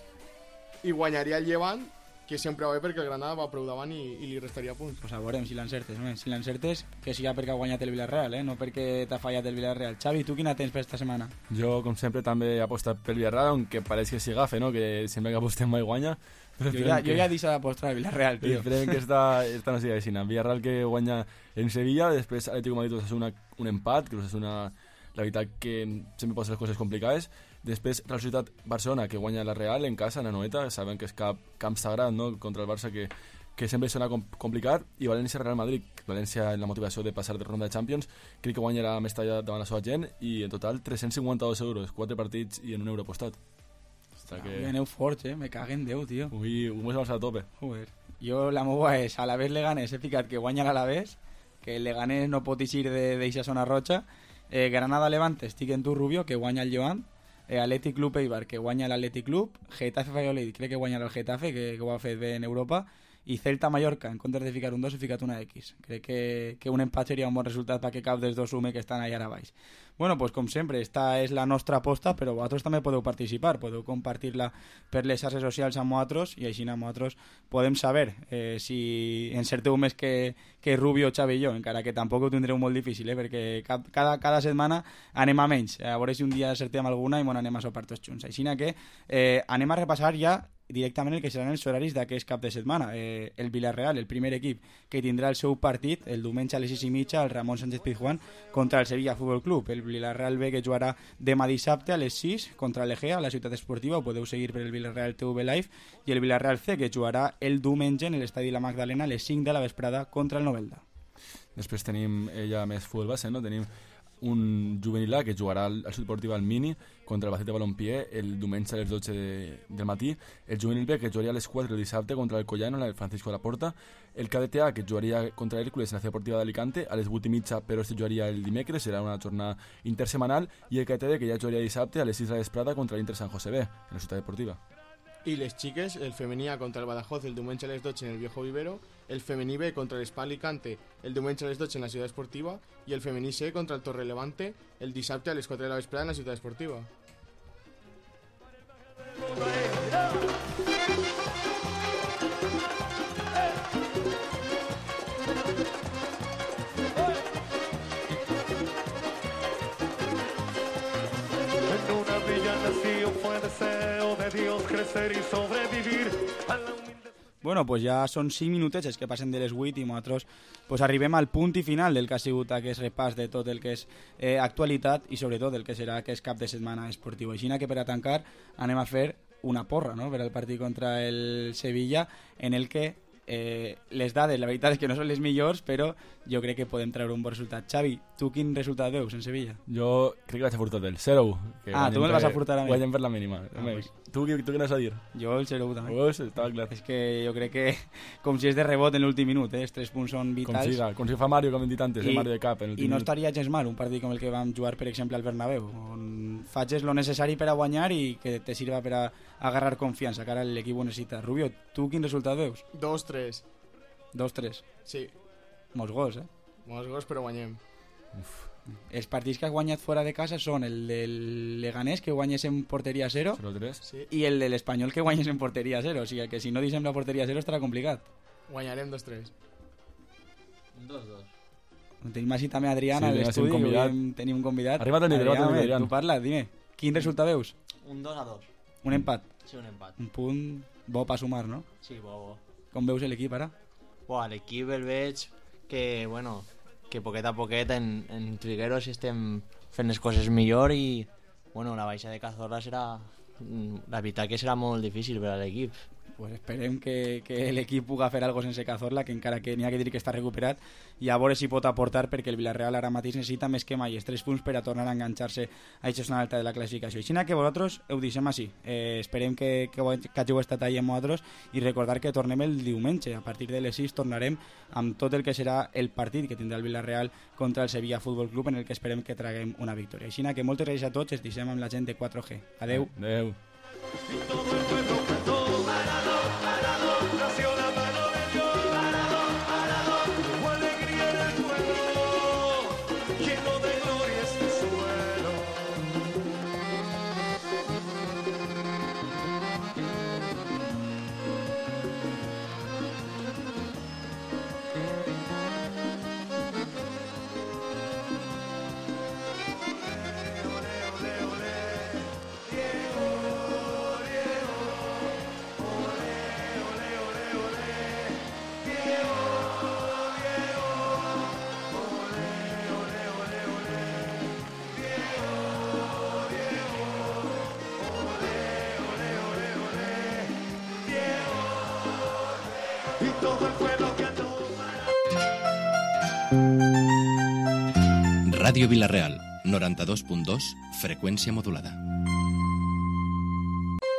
i guanyaria el Llevant, que sempre va bé perquè el Granada va prou davant i li restaria punts. Pues a veurem si l'encertes, si l'encertes que siga perquè ha guanyat el Villarreal, no perquè t'ha fallat el Villarreal. Xavi, tu quina tens per esta setmana? Jo, com sempre, també he apostat pel Villarreal, aunque pareix que s'hi agafa, no?, que sempre que apostem mai guanya. Jo ja he deixat d'apostar al Villarreal, tio. Esperem que esta no sigui així. Villarreal que guanya en Sevilla, després Atlético de Madrid Osasuna un empat, que Osasuna, la veritat que sempre posa les coses complicades. Després Real Societat Barcelona, que guanya la Real en casa, en Anoeta, saben que és camp sagrat, no?, contra el Barça, que sempre sona complicat. I València-Real Madrid, València en la motivació de passar de ronda de Champions, crec que guanyarà més talla davant la seva gent, i en total 352 euros, 4 partits i en un euro apostat. Que... aneu forts, me caguen Déu, tio. Ui, ho hemos a tope. Joder. Jo la meva és Alavés Leganés, he ficat que guanya l'Alavés, que el Leganés no pot eixir d'eixa zona roja. Granada Levante, estic en tu, Rubio, que guanya el Llevant. Atlètic Club Eibar, que guanya l'Atlètic Club. Getafe Valladolid, crec que guanya el Getafe, que ho ha fet bé en Europa. i Celta-Mallorca, en comptes de ficar un 2, he ficat una X. Crec que un empat seria un bon resultat perquè cap dels dos sume que estan allà a baix. Bueno, pues com sempre, esta és la nostra aposta, però vosaltres també podeu participar, podeu compartir-la per les xarxes socials amb vosaltres i així amb vosaltres podem saber si encerteu més que Rubio, Xavi i jo, encara que tampoc ho tindreu molt difícil, perquè cada setmana anem a menys. A veure si un dia acertem alguna i bon, anem a sopar tots junts. Així que anem a repassar ja directament el que seran els horaris d'aquest cap de setmana. El Villarreal, el primer equip que tindrà el seu partit el diumenge a les 6:30 al Ramon Sánchez Pizjuán contra el Sevilla Fútbol Club. El Villarreal B que jugarà demà dissabte a les 6 contra l'Egea a la Ciutat Esportiva, ho podeu seguir per el Villarreal TV Live, i el Villarreal C que jugarà el diumenge en l'estadi La Magdalena a les 5 de la vesprada contra el Novelda. Després tenim ja més futbol base, no? Tenim un juvenil A que jugarà al Ciutat Esportiva al Mini contra el Bacete Balompié el diumenge a les 12 del matí, el juvenil B que jugaria a les 4 el dissabte contra el Collano en el Francisco de la Porta, el cadet A que jugaria contra l'Hèrcules en la Ciutat Esportiva d'Alicante a les 8:30, però este jugaria el dimecres, serà una jornada intersemanal, i el cadet D que ja jugaria dissabte a les 6 de la vesprada contra l'Inter San José B en la Ciutat Esportiva. Y les xiques, el femení A contra el Badajoz el diumenge a les 12 en el Viejo Vivero, el femení B contra el Spa Alicante el diumenge a les 12 en la Ciutat Esportiva i el femení C contra el Torrelevante el dissabte a les 4 de la vesprada en la Ciutat Esportiva. En una bella nación fue deseo de Dios crecer y sobrevivir a la humilde... Bueno, pues ja són 5 minutets que passen de les 8 i nosaltres pues arribem al punt i final del que ha sigut aquest repàs de tot el que és actualitat i sobretot el que serà aquest cap de setmana esportiu. Així que per a tancar anem a fer una porra, no?, per al partit contra el Sevilla, en el que les dades, la veritat és que no són les millors, però jo crec que podem treure un bon resultat. Xavi, tu quin resultat veus en Sevilla? Jo crec que vaig a furtar del 0-1. Tu me'l vas a furtar a mi. Guanyem per la mínima. Pues. Tu què vas a dir? Jo el 0-1 també. Pues, estava clar. És que jo crec que com si és de rebot en l'últim minut, els 3 punts són vitals. Com si fa Mario, com hem dit antes, Mario de cap en l'últim minut. I no estaria gens mal un partit com el que vam jugar, per exemple, al Bernabéu, on faig lo necessari per a guanyar i que te sirva per a agarrar confiança, que ara l'equip ho necessita. Rubio, tu quin resultat veus? 2-3. 2-3? Sí. Molts gols, Molts gols, però guanyem. Els partits que has guanyat fora de casa són el del Leganés, que guanyes en porteria 0, 0-3. Sí. I el de l'Espanyol, que guanyes en porteria 0. O sigui que si no deixem la porteria 0 estarà complicat. Guanyarem 2-3. 2-2. Tenim així també Adrián a l'estudi, tenim un convidat. Arriba a tenir, Adrián. Tu parla, dime. Quin resultat veus? Un 2-2. Un empat? Sí, un empat. Un punt bo per sumar, no? Sí, bo. Com veus l'equip ara? L'equip el veig que, bueno, que poquet a poquet en Trigueros estem fent les coses millor i, bueno, la baixa de Cazorla serà... La veritat que serà molt difícil per a l'equip. Pues esperem que l'equip pugui fer alguna cosa sense Cazorla, que encara que n'hi ha que dir que està recuperat, i a veure si pot aportar, perquè el Villarreal ara mateix necessita més que mai els 3 punts per a tornar a enganxar-se a aquesta zona alta de la classificació. Així que vosaltres ho deixem així. Esperem que hàgiu estat allà amb vosaltres i recordar que tornem el diumenge. A partir de les 6 tornarem amb tot el que serà el partit que tindrà el Villarreal contra el Sevilla Fútbol Club, en el que esperem que traguem una victòria. Així que moltes gràcies a tots, ens deixem amb la gent de 4G. Adeu. Adeu. Ràdio Vila-real, 92.2, freqüència modulada.